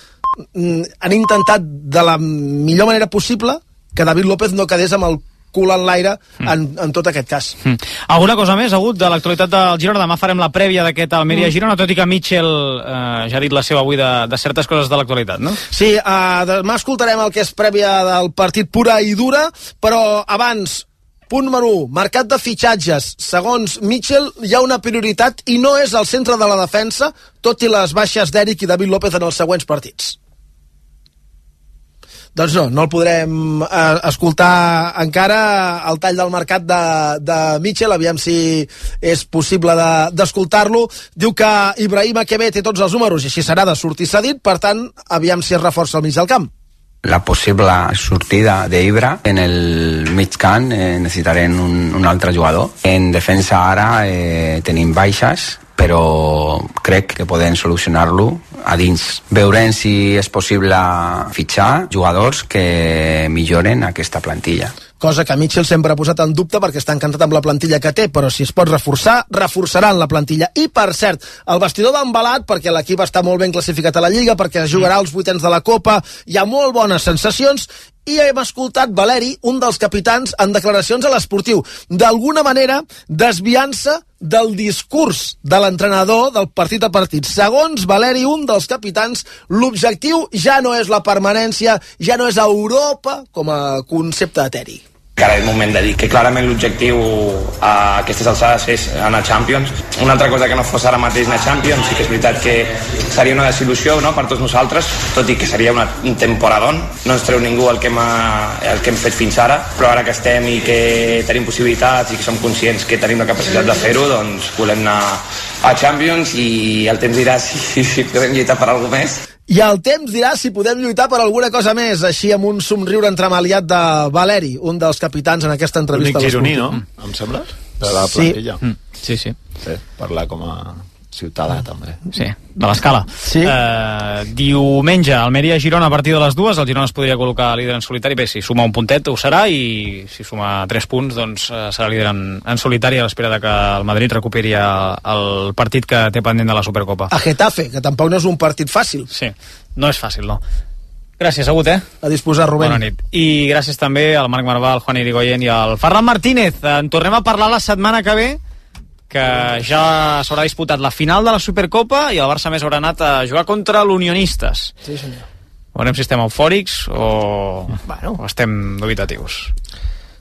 han intentat de la millor manera possible que David López no quedés amb el cul en l'aire en, en tot aquest cas. Mm. Alguna cosa més, hagut de l'actualitat del Girona? Demà farem la prèvia d'aquest Almeria-Girona, tot i que Mitchell eh, ja ha dit la seva avui de, de certes coses de l'actualitat, no? Sí, uh, demà escoltarem el que és prèvia del partit pura i dura, però abans, punt número u, mercat de fitxatges. Segons Mitchell, hi ha una prioritat i no és el centre de la defensa, tot i les baixes d'Eric i David López en els següents partits. Doncs no, no el podrem eh, escoltar encara, el tall del mercat de, de Mitchell, aviam si és possible d'escoltar-lo. De, Diu que Ibrahim Akebe té tots els números i així serà de sortir cedit, per tant, aviam si es reforça al mig del camp. La possible sortida d'Ibra en el mig camp eh, necessitarem un, un altre jugador. En defensa ara eh, tenim baixes, però crec que podem solucionar-lo a dins. Veurem si és possible fitxar jugadors que milloren aquesta plantilla. Cosa que Mitchell sempre ha posat en dubte perquè està encantat amb la plantilla que té, però si es pot reforçar, reforçaran la plantilla. I, per cert, el vestidor va embalat perquè l'equip està molt ben classificat a la Lliga, perquè jugarà els vuitens de la Copa, hi ha molt bones sensacions, i hem escoltat Valeri, un dels capitans, en declaracions a l'Esportiu, d'alguna manera desviant-se del discurs de l'entrenador del partit a partit. Segons Valeri, un dels capitans, l'objectiu ja no és la permanència, ja no és Europa com a concepte eteri. Ara és moment de dir que clarament l'objectiu a aquestes alçades és anar a Champions. Una altra cosa que no fos ara mateix anar a Champions, sí que és veritat que seria una desil·lusió, no?, per tots nosaltres, tot i que seria una, un temporadón. No ens treu ningú el que, hem, el que hem fet fins ara, però ara que estem i que tenim possibilitats i que som conscients que tenim la capacitat de fer-ho, doncs volem anar a Champions i el temps dirà si, si podem lluitar per alguna més. I el temps dirà si podem lluitar per alguna cosa més, així amb un somriure entremaliat de Valeri, un dels capitans en aquesta entrevista. L'únic gironí, no? Em sembla? De la plantilla. Sí, sí. sí. sí parlar com a ciutadà, també. Sí, de l'escala. Sí. Uh, diumenge, Almeria-Girona a partir de les dues, el Girona es podria col·locar líder en solitari. Bé, si suma un puntet ho serà, i si suma tres punts, doncs uh, serà líder en, en solitari a l'espera de que el Madrid recuperi el partit que té pendent de la Supercopa. A Getafe, que tampoc no és un partit fàcil. Sí, no és fàcil, no. Gràcies, Agut, eh? A disposar, Rubén. Bona nit. I gràcies també al Marc Marvà, al Juan Irigoyen i al Ferran Martínez. En tornem a parlar la setmana que ve, que ja s'haurà disputat la final de la Supercopa i el Barça més haurà anat a jugar contra l'Unionistes. Sí, senyor. Veurem si estem eufòrics o, bueno, o estem dubitatius.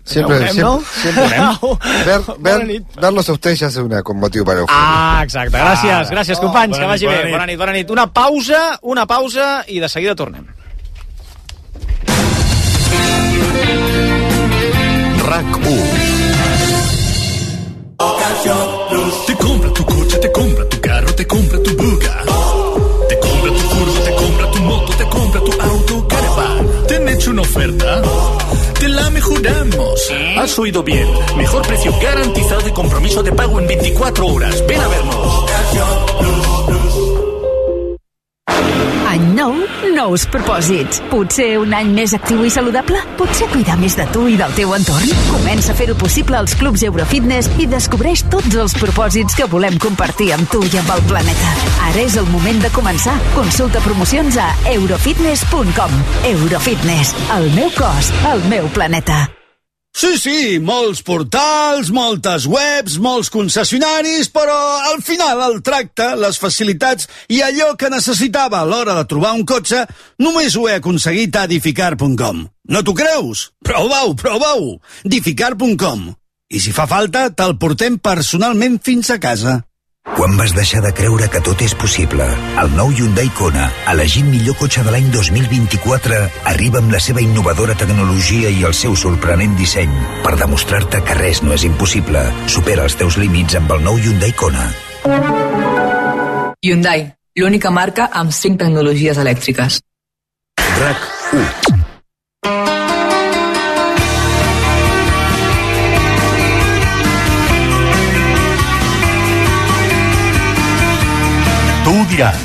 Siempre, veurem, siempre, no? siempre. Ver, ver, verlos a ustedes ya es una, con motivo para euforia. Ah, exacte. Gràcies, ah, gràcies, companys, oh, que vagi bé. Bona nit, bona nit. Una pausa, una pausa i de seguida tornem. RAC u. Te compra tu coche, te compra tu carro, te compra tu buga. Te compra tu furgo, te compra tu moto, te compra tu auto, caravan. ¿Te han hecho una oferta? Te la mejoramos. Has oído bien. Mejor precio garantizado y compromiso de pago en veinticuatro horas. Ven a vernos. Any nou, nous propòsits. Potser un any més actiu i saludable? Potser cuidar més de tu i del teu entorn? Comença a fer-ho possible als clubs Eurofitness i descobreix tots els propòsits que volem compartir amb tu i amb el planeta. Ara és el moment de començar. Consulta promocions a eurofitness punt com. Eurofitness. El meu cos, el meu planeta. Sí, sí, molts portals, moltes webs, molts concessionaris, però al final el tracte, les facilitats i allò que necessitava a l'hora de trobar un cotxe només ho he aconseguit a Dificar punt com. No t'ho creus? Prova-ho, prova-ho! Dificar punt com. I si fa falta, te'l portem personalment fins a casa. Quan vas deixar de creure que tot és possible? El nou Hyundai Kona, elegit millor cotxe de l'any dos mil vint-i-quatre, arriba amb la seva innovadora tecnologia i el seu sorprenent disseny per demostrar-te que res no és impossible. Supera els teus límits amb el nou Hyundai Kona. Hyundai, l'única marca amb cinc tecnologies elèctriques. RAC u. Tu ho diràs,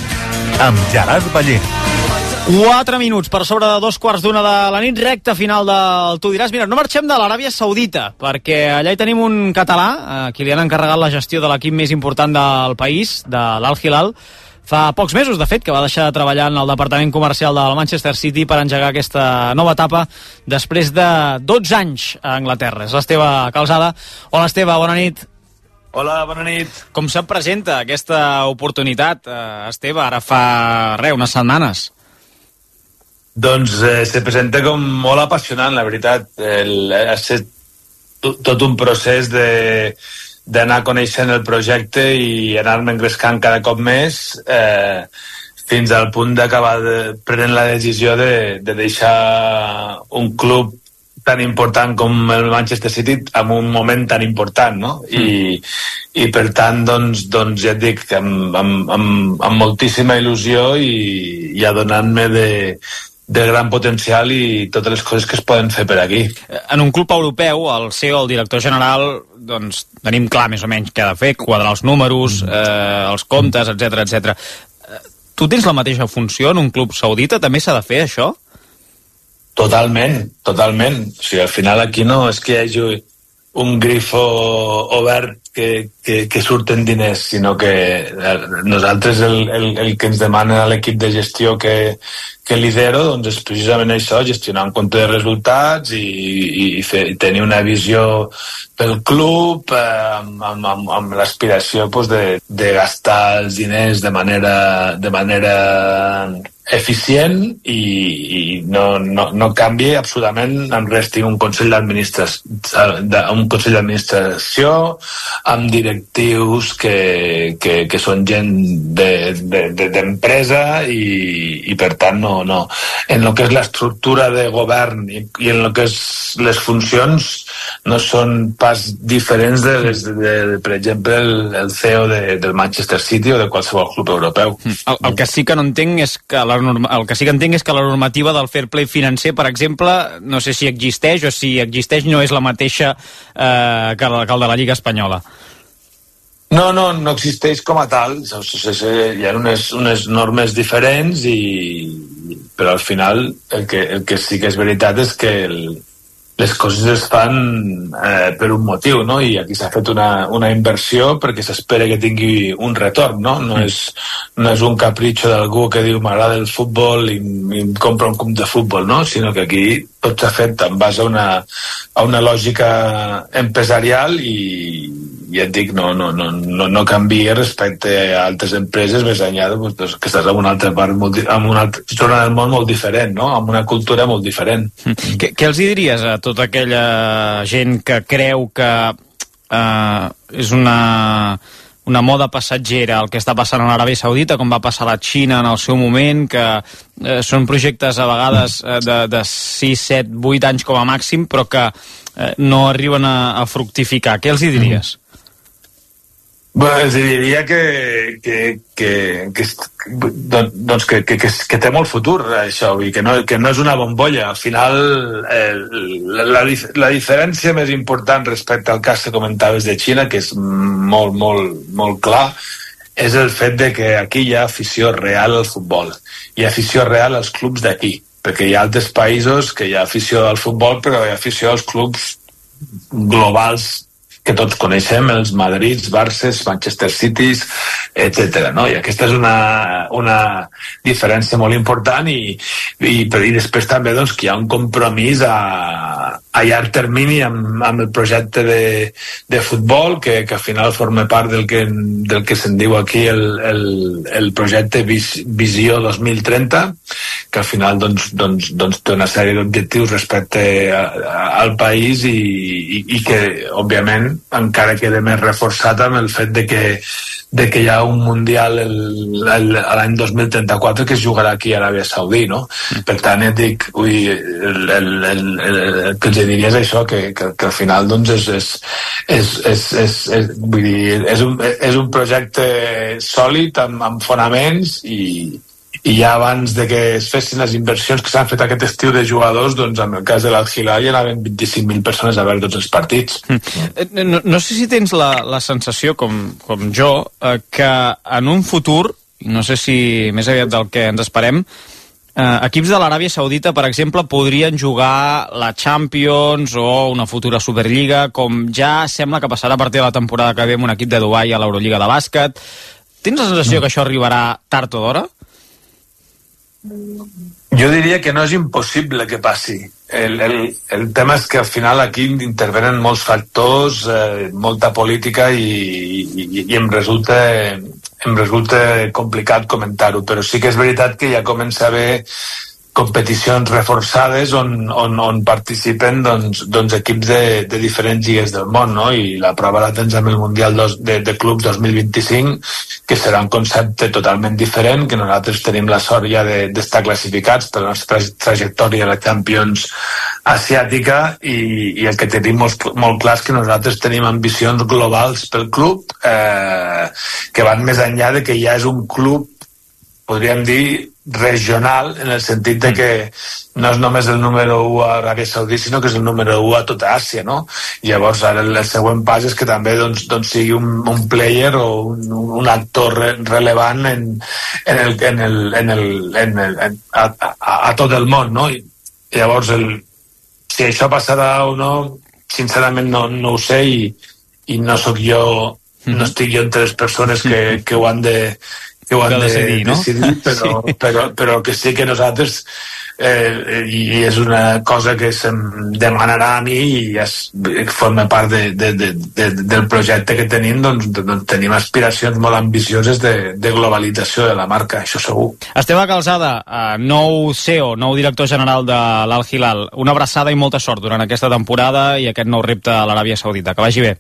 amb Gerard Ballén. Quatre minuts per sobre de dos quarts d'una de la nit, recta final del Tu diràs. Mira, no marxem de l'Aràbia Saudita, perquè allà hi tenim un català, a qui li han encarregat la gestió de l'equip més important del país, de l'Al Hilal, fa pocs mesos, de fet, que va deixar de treballar en el departament comercial del Manchester City per engegar aquesta nova etapa després de dotze anys a Anglaterra. És l'Esteve Calzada. Hola, Esteve, bona nit. Hola, bona nit. Com se't presenta aquesta oportunitat, eh, Esteve, ara fa, res, unes setmanes? Doncs eh, se presenta com molt apassionant, la veritat. El, ha estat tot un procés de d'anar coneixent el projecte i anar-me engrescant cada cop més eh, fins al punt d'acabar de, prenent la decisió de, de deixar un club tan important com el Manchester City en un moment tan important, no? Mm. I, i per tant, doncs, doncs ja et dic, amb, amb, amb, amb moltíssima il·lusió i, i adonant-me de, de gran potencial i totes les coses que es poden fer per aquí. En un club europeu, el C E O, el director general, doncs tenim clar més o menys què ha de fer, quadrar els números, eh, els comptes, etcètera, etcètera. Tu tens la mateixa funció en un club saudita? També s'ha de fer això? Totalment, totalment. O sigui, al final aquí no és que hi hagi un grifo obert que, que, que surten diners, sinó que nosaltres el, el, el que ens demana l'equip de gestió que, que lidero doncs és precisament això, gestionar un compte de resultats i, i, i, fer, i tenir una visió pel club eh, amb, amb, amb, amb l'aspiració pues, de, de gastar els diners de manera, de manera eficient i, i no, no, no canvi absolutament en res. Tinc un consell d'administració, un consell d'administració amb directius que, que, que són gent d'empresa de, de, i, i per tant no, no. En el que és l'estructura de govern i, i en el que és les funcions no són pas diferents de, les, de, de, de per exemple el, el C E O de, del Manchester City o de qualsevol club europeu. El, el que sí que no entenc és que la norma, el que sí que entenc és que la normativa del fair play financer, per exemple, no sé si existeix o si existeix no és la mateixa eh, que, la, que el de la Lliga Espanyola. No, no, no existeix com a tal. Hi ha unes, unes normes diferents i, però al final el que, el que sí que és veritat és que el, les coses es fan eh, per un motiu, no? I aquí s'ha fet una, una inversió perquè s'espera que tingui un retorn, no? No és, no és un capritxo d'algú que diu m'agrada el futbol i, i em compra un club de futbol, no? Sinó que aquí tot s'ha fet en base a una, a una lògica empresarial i, i et dic, no, no, no, no, no canvia respecte a altres empreses més enllà de, doncs, que estàs en una altra part, molt, en una altra zona del món molt diferent, no? Amb una cultura molt diferent. Què, què els diries a tota aquella gent que creu que eh, és una, una moda passatgera el que està passant a l'Aràbia Saudita, com va passar a la Xina en el seu moment, que eh, són projectes a vegades eh, de, de sis, set, vuit anys com a màxim, però que eh, no arriben a, a fructificar? Què els hi diries? Mm. Bueno, els diria que, que, que, que, doncs que, que, que té molt futur això, i que no, que no és una bombolla. Al final eh, la, la, la diferència més important respecte al cas que comentaves de Xina, que és molt, molt, molt clar, és el fet de que aquí hi ha afició real al futbol, hi ha afició real als clubs d'aquí, perquè hi ha altres països que hi ha afició al futbol però hi ha afició als clubs globals que tots coneixem, els Madrids, Barces, Manchester Cities, etcètera, no? I aquesta és una, una diferència molt important i, i, i després també doncs, que hi ha un compromís a, a llarg termini amb, amb el projecte de, de futbol, que, que al final forma part del que, del que se'n diu aquí el, el, el projecte Vis, Visió dos mil trenta, que al final doncs, doncs, doncs té una sèrie d'objectius respecte a, a, al país i, i, i que, òbviament, encara queda més reforçat amb el fet de que de que hi ha un Mundial l'any dos mil trenta-quatre que es jugarà aquí a Aràbia Saudí, no? Mm. Per tant, et dic, ui, el, el, el, el, el que els diria és això, que, que, que al final doncs és, és, és, és, és, és, vull dir, és, un, és un projecte sòlid, amb, amb fonaments, i, i ja abans de que es fessin les inversions que s'han fet aquest estiu de jugadors, doncs en el cas de l'Al-Hilal hi anaven vint-i-cinc mil persones a veure tots els partits. Mm. No, no sé si tens la, la sensació, com, com jo, eh, que en un futur, no sé si més aviat del que ens esperem, eh, equips de l'Aràbia Saudita, per exemple, podrien jugar la Champions o una futura Superliga, com ja sembla que passarà a partir de la temporada que ve amb un equip de Dubai a l'Eurolliga de bàsquet. Tens la sensació que això arribarà tard o d'hora? Jo diria que no és impossible que passi. El, el, el tema és que al final aquí intervenen molts factors, eh, molta política i, i, i em resulta em resulta complicat comentar-ho, però sí que és veritat que ja comença a haver competicions reforçades on, on, on participen doncs, doncs equips de, de diferents lligues del món, no? I la prova la tens amb el Mundial dos, de, de Clubs dos mil vint-i-cinc, que serà un concepte totalment diferent, que nosaltres tenim la sort ja d'estar de, classificats per la nostra trajectòria a la Champions asiàtica, i, i el que tenim molt, molt clar és que nosaltres tenim ambicions globals pel club, eh, que van més enllà de que ja és un club, podríem dir, regional, en el sentit de que no és només el número u a Aràbia Saudí, sinó que és el número u a tota Àsia, no? I llavors ara el, el següent pas és que també doncs, doncs sigui un, un player o un, un actor re, relevant en, en el, en el, en el, en el, en, a, a, a tot el món, no? I llavors el, si això passarà o no, sincerament no, no ho sé, i, i no sóc jo, mm-hmm. no estic jo entre les persones que, que ho han de que ho han de decidir, no? decidir però, sí. però, però que sí que nosaltres eh, i és una cosa que se'm demanarà a mi i és, forma part de, de, de, de, del projecte que tenim, doncs, doncs tenim aspiracions molt ambicioses de, de globalització de la marca, això segur. Esteve Calzada, nou C E O, nou director general de l'Al-Hilal, una abraçada i molta sort durant aquesta temporada i aquest nou repte a l'Aràbia Saudita. Que vagi bé.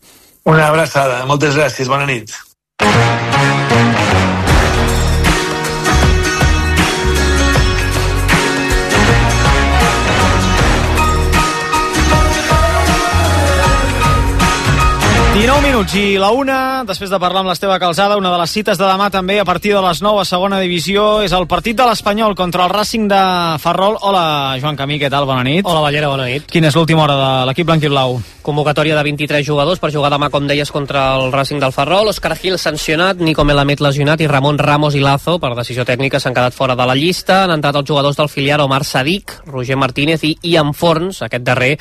Una abraçada, moltes gràcies, bona nit. dinou minuts i la una, després de parlar amb l'Esteve Calzada, una de les cites de demà també a partir de les nou a segona divisió és el partit de l'Espanyol contra el Racing de Ferrol. Hola, Joan Camí, què tal? Bona nit. Hola, Ballera, bona nit. Quina és l'última hora de l'equip blanquiblau? Convocatòria de vint-i-tres jugadors per jugar demà, com deies, contra el Racing del Ferrol. Òscar Gil sancionat, Nico Melamed lesionat i Ramon Ramos i Lazo, per decisió tècnica, s'han quedat fora de la llista. Han entrat els jugadors del filial Omar Sadik, Roger Martínez i Ian Forns, aquest darrer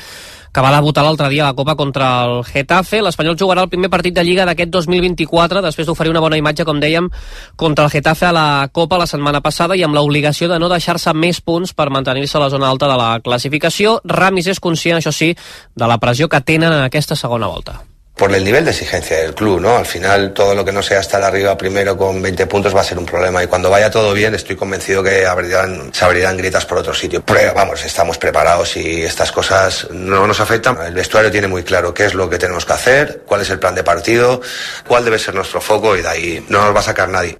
que va debutar l'altre dia a la Copa contra el Getafe. L'Espanyol jugarà el primer partit de Lliga d'aquest dos mil vint-i-quatre, després d'oferir una bona imatge, com dèiem, contra el Getafe a la Copa la setmana passada i amb l'obligació de no deixar-se més punts per mantenir-se a la zona alta de la classificació. Ramis és conscient, això sí, de la pressió que tenen en aquesta segona volta. Por el nivel de exigencia del club, ¿no? Al final todo lo que no sea estar arriba primero con veinte puntos va a ser un problema, y cuando vaya todo bien estoy convencido que abrirán, se abrirán grietas por otro sitio. Pero vamos, estamos preparados y estas cosas no nos afectan. El vestuario tiene muy claro qué es lo que tenemos que hacer, cuál es el plan de partido, cuál debe ser nuestro foco, y de ahí no nos va a sacar nadie.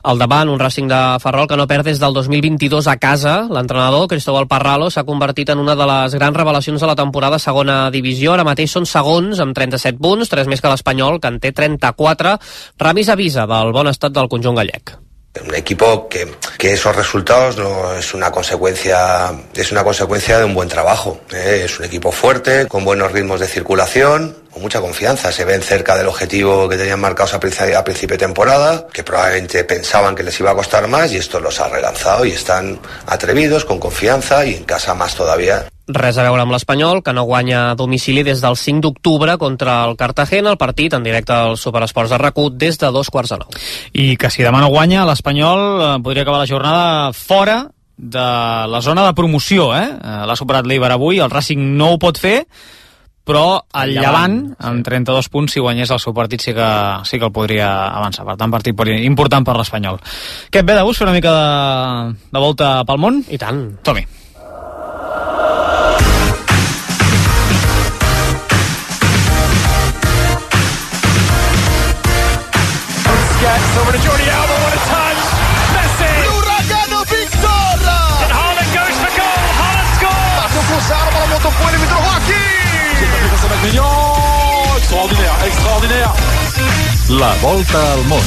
Al davant, un Racing de Ferrol que no perd des del dos mil vint-i-dos a casa. L'entrenador, Cristóbal Parralo, s'ha convertit en una de les grans revelacions de la temporada a segona divisió. Ara mateix són segons, amb trenta-set punts, tres més que l'Espanyol, que en té trenta-quatre. Ramis avisa del bon estat del conjunt gallec. Un equipo que, que esos resultados no es una consecuencia, es una consecuencia de un buen trabajo, ¿eh? Es un equipo fuerte, con buenos ritmos de circulación, con mucha confianza. Se ven cerca del objetivo que tenían marcados a principio, a principio de temporada, que probablemente pensaban que les iba a costar más, y esto los ha relanzado y están atrevidos, con confianza, y en casa más todavía. Res a veure amb l'Espanyol, que no guanya a domicili des del cinc d'octubre contra el Cartagena, el partit en directe al Superesports de RAC u des de dos quarts de nou. I que si demà no guanya, l'Espanyol podria acabar la jornada fora de la zona de promoció, eh? L'ha superat l'Eibar avui, el Racing no ho pot fer, però el Llevant, amb trenta-dos punts, si guanyés el seu partit, sí que, sí que el podria avançar. Per tant, partit important per l'Espanyol. Què et ve de gust fer una mica de, de volta pel món? I tant. Som-hi. Over to Jordi Alba, what a touch! Messi! L'Uragano Victor! And Haaland goes for goal, Haaland scores! Passou cruzado, a bola montou com ele, me trocou aqui! Extraordinaire, extraordinaire! La volta al món.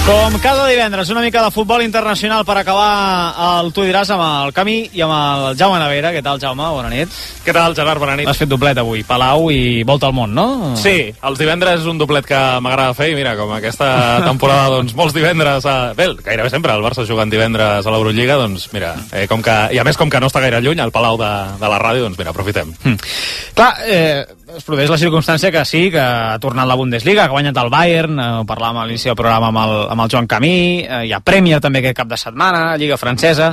Com cada divendres, una mica de futbol internacional per acabar el Tu diràs amb el Camí i amb el Jaume Navera. Què tal, Jaume? Bona nit. Què tal, Gerard? Bona nit. Has fet doblet avui, Palau i volta al món, no? Sí, els divendres és un doblet que m'agrada fer i mira, com aquesta temporada, doncs molts divendres, a... bé, gairebé sempre el Barça jugant divendres a l'Eurolliga, doncs mira, eh, com que, i a més com que no està gaire lluny, al Palau de, de la ràdio, doncs mira, aprofitem. Mm. Clar, eh, es produeix la circumstància que sí, que ha tornat la Bundesliga, que ha guanyat el Bayern, eh, ho parlàvem a l'inici del programa amb el, amb el Joan Camí, eh, hi ha Premier també aquest cap de setmana, Lliga Francesa,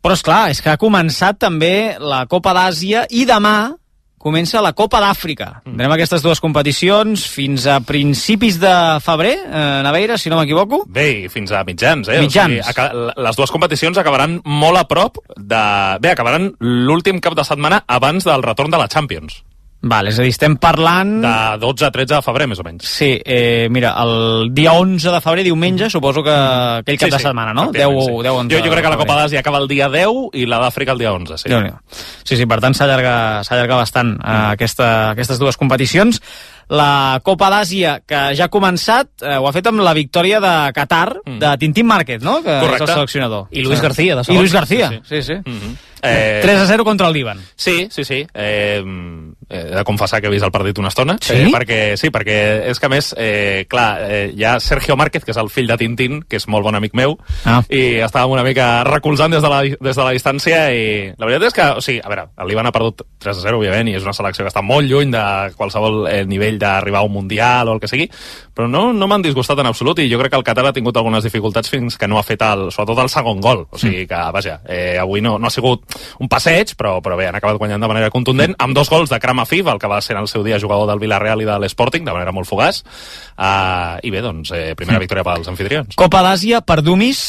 però és clar, és que ha començat també la Copa d'Àsia i demà comença la Copa d'Àfrica. Mm. Tindrem aquestes dues competicions fins a principis de febrer, eh, Naveira, si no m'equivoco. Bé, i fins a mitjans, eh? Mitjans. O sigui, les dues competicions acabaran molt a prop de... Bé, acabaran l'últim cap de setmana abans del retorn de la Champions. Val, és a dir, estem parlant... De dotze a tretze de febrer, més o menys. Sí, eh, mira, el dia onze de febrer, diumenge, suposo que aquell cap sí, sí, de setmana, no? deu, sí. deu, jo, jo crec que la Copa d'Àsia acaba el dia deu i la d'Àfrica el dia onze, sí. Sí, sí, per tant s'allarga bastant mm. eh, aquesta, aquestes dues competicions. La Copa d'Àsia, que ja ha començat, eh, ho ha fet amb la victòria de Qatar, mm. de Tintín Márquez, no? Que correcte. És el seleccionador. I Luis García, de segon. I Luis García, sí, sí. sí. Mm-hmm. eh... tres a zero contra el Líban. Sí, sí, sí. Eh, he de confessar que he vist el partit una estona. Sí? Eh, perquè, sí, perquè és que a més, eh, clar, eh, hi ha Sergio Márquez, que és el fill de Tintín, que és molt bon amic meu, ah. i estàvem una mica recolzant des de, la, des de la distància, i la veritat és que, o sigui, a veure, el Líban ha perdut tres a zero, òbviament, i és una selecció que està molt lluny de qualsevol eh, nivell d'arribar a un mundial o el que sigui, però no, no m'han disgustat en absolut, i jo crec que el Qatar ha tingut algunes dificultats fins que no ha fet el, sobretot el segon gol, o sigui que, vaja, eh, avui no, no ha sigut un passeig, però, però bé, han acabat guanyant de manera contundent, amb dos gols de Kram Afif, el que va ser en el seu dia jugador del Villarreal i de l'Sporting, de manera molt fugaç, uh, i bé, doncs, eh, primera victòria pels anfitrions. Copa d'Àsia per Dumis,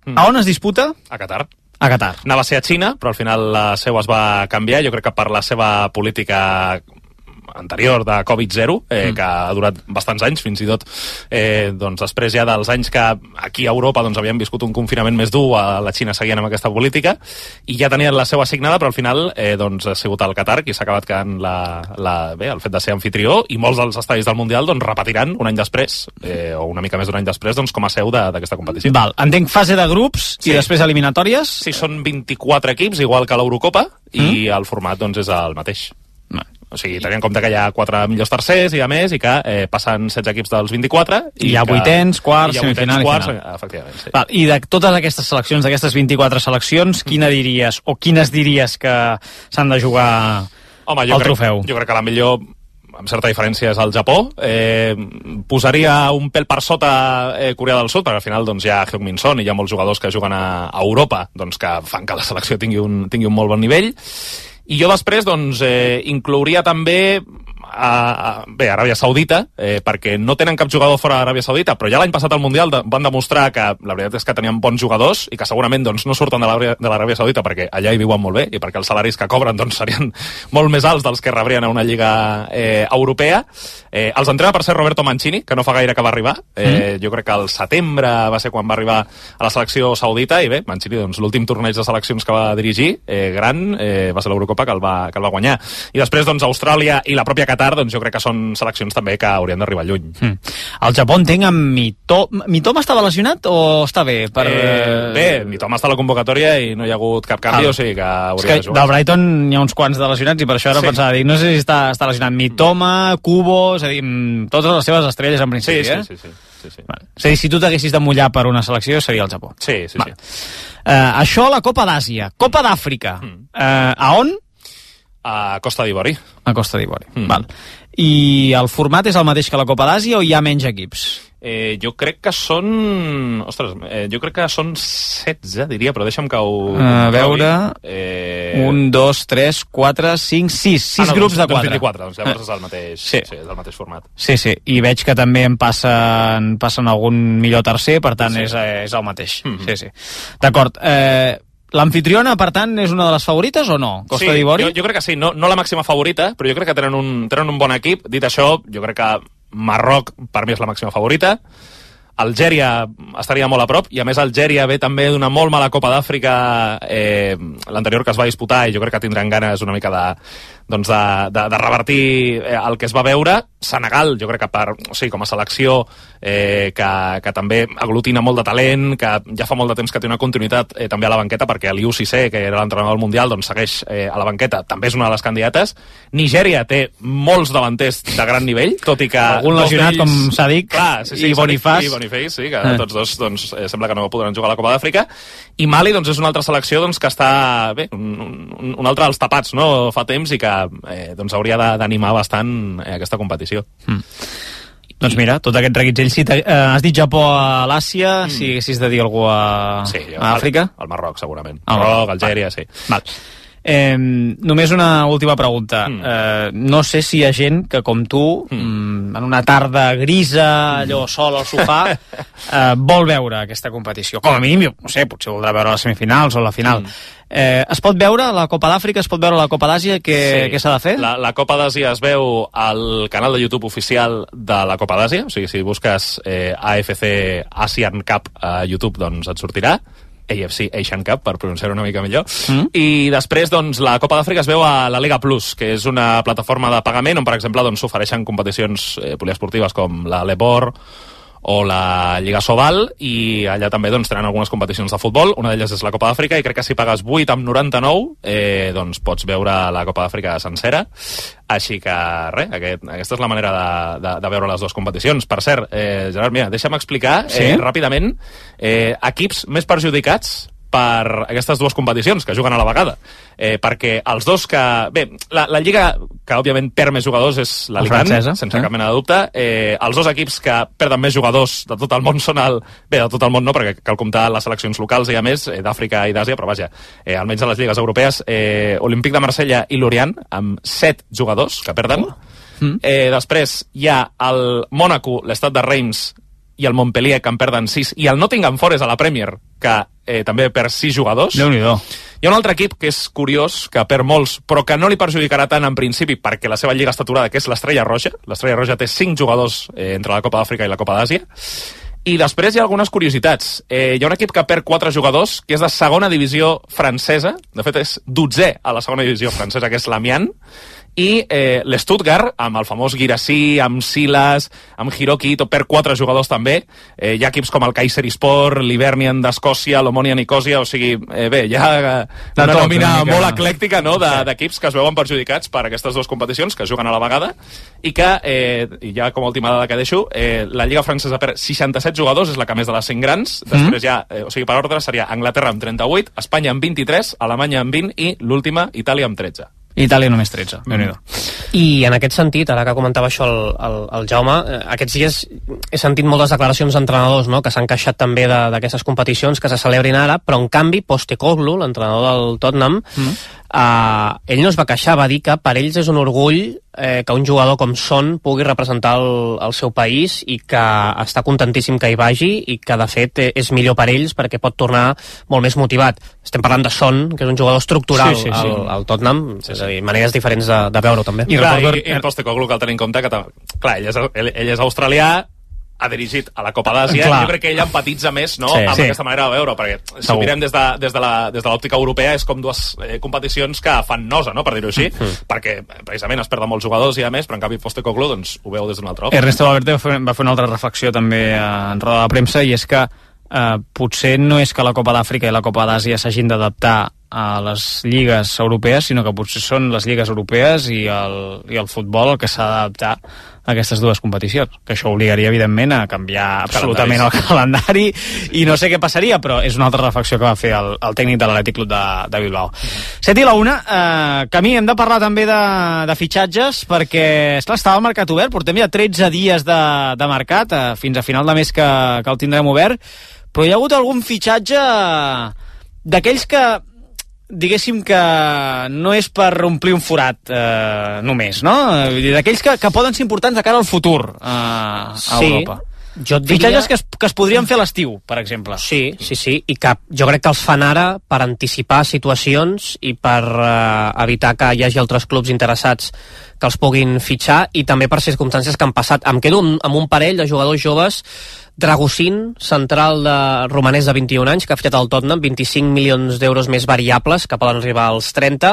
mm. a on es disputa? A Qatar. A Qatar. Anava a ser a Xina, però al final la seu es va canviar, jo crec que per la seva política anterior de Covid zero, eh, mm. que ha durat bastants anys, fins i tot eh, doncs després ja dels anys que aquí a Europa doncs, havíem viscut un confinament més dur, a la Xina seguien amb aquesta política, i ja tenien la seu assignada, però al final eh, doncs, ha sigut el Qatar qui s'ha acabat quedant la, la, bé, el fet de ser anfitrió, i molts dels estadis del Mundial doncs, repetiran un any després, eh, o una mica més d'un any després, doncs, com a seu d'aquesta competició. Val, entenc fase de grups sí. i després eliminatòries? Sí, són vint-i-quatre equips, igual que l'Eurocopa, mm. i el format doncs, és el mateix. O sigui, tenint en compte que hi ha quatre millors tercers i a més, i que eh, passen setze equips dels vint-i-quatre. I hi ha que, vuitens, quarts, semifinal i quarts, i final. Efectivament, sí. Val, i de totes aquestes seleccions, d'aquestes vint-i-quatre seleccions, quina diries, o quines diries que s'han de jugar Home, al crec, trofeu? Jo crec que la millor, amb certa diferència, és el Japó. Eh, posaria un pèl per sota eh, Corea del Sud, perquè al final doncs, hi ha Heung-min Son i hi ha molts jugadors que juguen a, a Europa doncs, que fan que la selecció tingui un, tingui un molt bon nivell. I jo després doncs, eh, inclouria també a, a, bé, Aràbia Saudita, eh, perquè no tenen cap jugador fora d'Aràbia Saudita, però ja l'any passat al Mundial de, van demostrar que la veritat és que tenien bons jugadors i que segurament doncs, no surten de l'Aràbia Saudita perquè allà hi viuen molt bé i perquè els salaris que cobren doncs, serien molt més alts dels que rebrien a una lliga eh, europea. Eh, els entrena per ser Roberto Mancini, que no fa gaire que va arribar. Eh, mm. Jo crec que al setembre va ser quan va arribar a la selecció saudita i bé, Mancini, doncs, l'últim torneig de seleccions que va dirigir, eh, gran, eh, va ser l'Eurocopa que el va, que el va guanyar. I després doncs, Austràlia i la pròpia Qatar, doncs jo crec que són seleccions també que haurien d'arribar lluny. Mm. El Japó entenc amb Mitoma. Mitoma estava lesionat o està bé? Per... Eh, bé, Mitoma està a la convocatòria i no hi ha hagut cap canvi, ah. o sigui que hauria de jugar. Del Brighton hi ha uns quants de lesionats i per això ara sí. pensava dir, no sé si està, està lesionat Mitoma, Kubo, és a dir, totes les seves estrelles en principi, sí, eh? Sí, sí, sí. sí, sí. Vale. És a dir, si tu t'haguessis de mullar per una selecció seria el Japó. Sí, sí, vale. sí. Uh, això a la Copa d'Àsia. Copa d'Àfrica. Mm. Uh, a on? A Costa d'Ivori. A Costa d'Ivori, mm. val. I el format és el mateix que la Copa d'Àsia o hi ha menys equips? Eh, jo crec que són... Ostres, eh, jo crec que són setze, diria, però deixa'm que ho... A veure... Eh... Un, dos, tres, quatre, cinc, sis. Sis ah, no, grups doncs, de quatre. Doncs vint-i-quatre, doncs llavors és el mateix, sí. Sí, és el mateix format. Sí, sí, i veig que també en passen, passen algun millor tercer, per tant sí. és, és el mateix. Mm-hmm. Sí, sí. D'acord, eh... l'anfitriona, per tant, és una de les favorites o no? Costa sí, d'Ivori? Jo, jo crec que sí, no, no la màxima favorita, però jo crec que tenen un, tenen un bon equip. Dit això, jo crec que Marroc, per mi, és la màxima favorita. Algèria estaria molt a prop, i a més Algèria ve també d'una molt mala Copa d'Àfrica, eh, l'anterior que es va disputar, i jo crec que tindran ganes una mica de, doncs de, de, de revertir el que es va veure. Senegal, jo crec que per, o sigui, com a selecció eh, que, que també aglutina molt de talent, que ja fa molt de temps que té una continuïtat eh, també a la banqueta, perquè l'Iu Cissé, que era l'entrenador del Mundial, doncs segueix eh, a la banqueta, també és una de les candidates. Nigèria té molts davanters de gran nivell, tot i que... Algun lesionat, com s'ha dit, clar, sí, sí, i Bonifàs. I Bonifàs, sí, que eh. tots dos doncs, eh, sembla que no podran jugar a la Copa d'Àfrica. I Mali doncs, és una altra selecció doncs, que està bé, un, un, un altre dels tapats, no? Fa temps, i que eh, doncs, hauria d'animar bastant eh, aquesta competició. Mm. Doncs mira, tot aquest reguitzell, si eh, has dit Japó a l'Àsia, mm. si haguessis de dir algú a, sí, a Àfrica? Al Marroc, segurament. Al Marroc, Algèria, sí. Val. Eh, només una última pregunta. Mm. Eh, no sé si hi ha gent que, com tu, mm. en una tarda grisa, allò sol al sofà, eh, vol veure aquesta competició. Com a mínim, no sé, potser voldrà veure les semifinals o la final. Mm. Eh, es pot veure la Copa d'Àfrica, es pot veure la Copa d'Àsia, què sí. s'ha de fer? La, la Copa d'Àsia es veu al canal de YouTube oficial de la Copa d'Àsia, o sigui, si busques eh, A F C Asian Cup a YouTube, doncs et sortirà. A F C Asian Cup, per pronunciar-ho una mica millor. Mm. I després, doncs, la Copa d'Àfrica es veu a la Liga Plus, que és una plataforma de pagament on, per exemple, doncs, s'ofereixen competicions eh, poliesportives com la Lebor o la Lliga Sobal, i allà també doncs, tenen algunes competicions de futbol. Una d'elles és la Copa d'Àfrica, i crec que si pagues vuit coma noranta-nou eh, doncs pots veure la Copa d'Àfrica sencera. Així que, res, aquest, aquesta és la manera de, de, de veure les dues competicions. Per cert, eh, Gerard, mira, deixa'm explicar sí? eh, ràpidament eh, equips més perjudicats per aquestes dues competicions que juguen a la vegada, eh, perquè els dos que... Bé, la, la lliga que òbviament perd més jugadors és l'Alicant, sense eh? cap mena de dubte. Eh, els dos equips que perden més jugadors de tot el món són el... Bé, de tot el món no, perquè cal comptar les seleccions locals, i a més, eh, d'Àfrica i d'Àsia, però vaja, eh, almenys a les lligues europees, eh, Olímpic de Marsella i Lorient, amb set jugadors que perden. Oh. Eh, després hi ha el Mònaco, l'Estat de Reims i el Montpellier, que en perden sis, i el Nottingham Forest a la Premier, que eh, també perd sis jugadors. Déu-n'hi-do. Hi ha un altre equip que és curiós, que perd molts, però que no li perjudicarà tant en principi perquè la seva lliga està aturada, que és l'Estrella Roja. L'Estrella Roja té cinc jugadors eh, entre la Copa d'Àfrica i la Copa d'Àsia. I després hi ha algunes curiositats. Eh, hi ha un equip que perd quatre jugadors, que és de segona divisió francesa, de fet és dotzè a la segona divisió francesa, que és l'Amiens, i eh, l'Stuttgart, amb el famós Guirassy, amb Silas, amb Hiroki, tot per quatre jugadors també. Eh, hi ha equips com el Kayserispor, l'Hibernian d'Escòcia, l'Omonia Nicosia, o sigui, eh, bé, hi ha una nòmina molt eclèctica, no?, d'equips que es veuen perjudicats per aquestes dues competicions, que juguen a la vegada, i que, eh, i ja com a última dada que deixo, eh, la Lliga Francesa perd seixanta-set jugadors, és la que més de les cinc grans. Després ja, eh, o sigui, per ordre seria Anglaterra amb trenta-vuit, Espanya amb vint-i-tres, Alemanya amb vint i l'última, Itàlia amb tretze. Itàlia només tretze, déu-n'hi-do. I en aquest sentit, ara que comentava això el, el, el Jaume, eh, aquests dies he sentit moltes declaracions d'entrenadors, no?, que s'han queixat també d'aquestes competicions que se celebrin ara, però en canvi Postecoglou, l'entrenador del Tottenham, mm. eh, ell no es va queixar, va dir que per ells és un orgull eh, que un jugador com Son pugui representar el, el seu país, i que està contentíssim que hi vagi, i que de fet eh, és millor per ells perquè pot tornar molt més motivat. Estem parlant de Son, que és un jugador estructural sí, sí, sí. Al, al Tottenham, sí, sí. És a dir, maneres diferents de, de veure-ho també. I, clar, i, i el Postecoglou cal tenir en compte que clar, ell, és, ell, ell és australià, ha dirigit a la Copa d'Àsia, i jo crec que ell empatitza més, no?, sí, amb sí. aquesta manera de veure, perquè si ho mirem des de, des de la, des de l'òptica europea és com dues eh, competicions que fan nosa, no?, per dir-ho així, mm. perquè precisament es perden molts jugadors i a més, però en canvi Postecoglou doncs ho veu des d'un altre òptic. Ernesto Valverde va fer, va fer una altra reflexió també en roda de premsa, i és que eh, potser no és que la Copa d'Àfrica i la Copa d'Àsia s'hagin d'adaptar a les lligues europees, sinó que potser són les lligues europees i el, i el futbol el que s'ha d'adaptar a aquestes dues competicions, que això obligaria evidentment a canviar absolutament el calendari i no sé què passaria, però és una altra reflexió que va fer el, el tècnic de l'Atlètic Club de, de Bilbao. set i la una, eh, Camí, hem de parlar també de, de fitxatges, perquè esclar, estava el mercat obert, portem ja tretze dies de, de mercat, eh, fins a final de mes que, que el tindrem obert, però hi ha hagut algun fitxatge d'aquells que diguéssim que no és per omplir un forat eh, només, no? D'aquells que, que poden ser importants de cara al futur eh, a sí, Europa. Jo et diria... Fitxatges que es, que es podrien fer a l'estiu, per exemple. Sí, sí, sí, i que jo crec que els fan ara per anticipar situacions i per eh, evitar que hi hagi altres clubs interessats que els puguin fitxar i també per circumstàncies que han passat. Em quedo amb un parell de jugadors joves. Dragosín, central de romanès de vint-i-un anys, que ha fitxat al Tottenham, vint-i-cinc milions d'euros més variables, que poden arribar als trenta.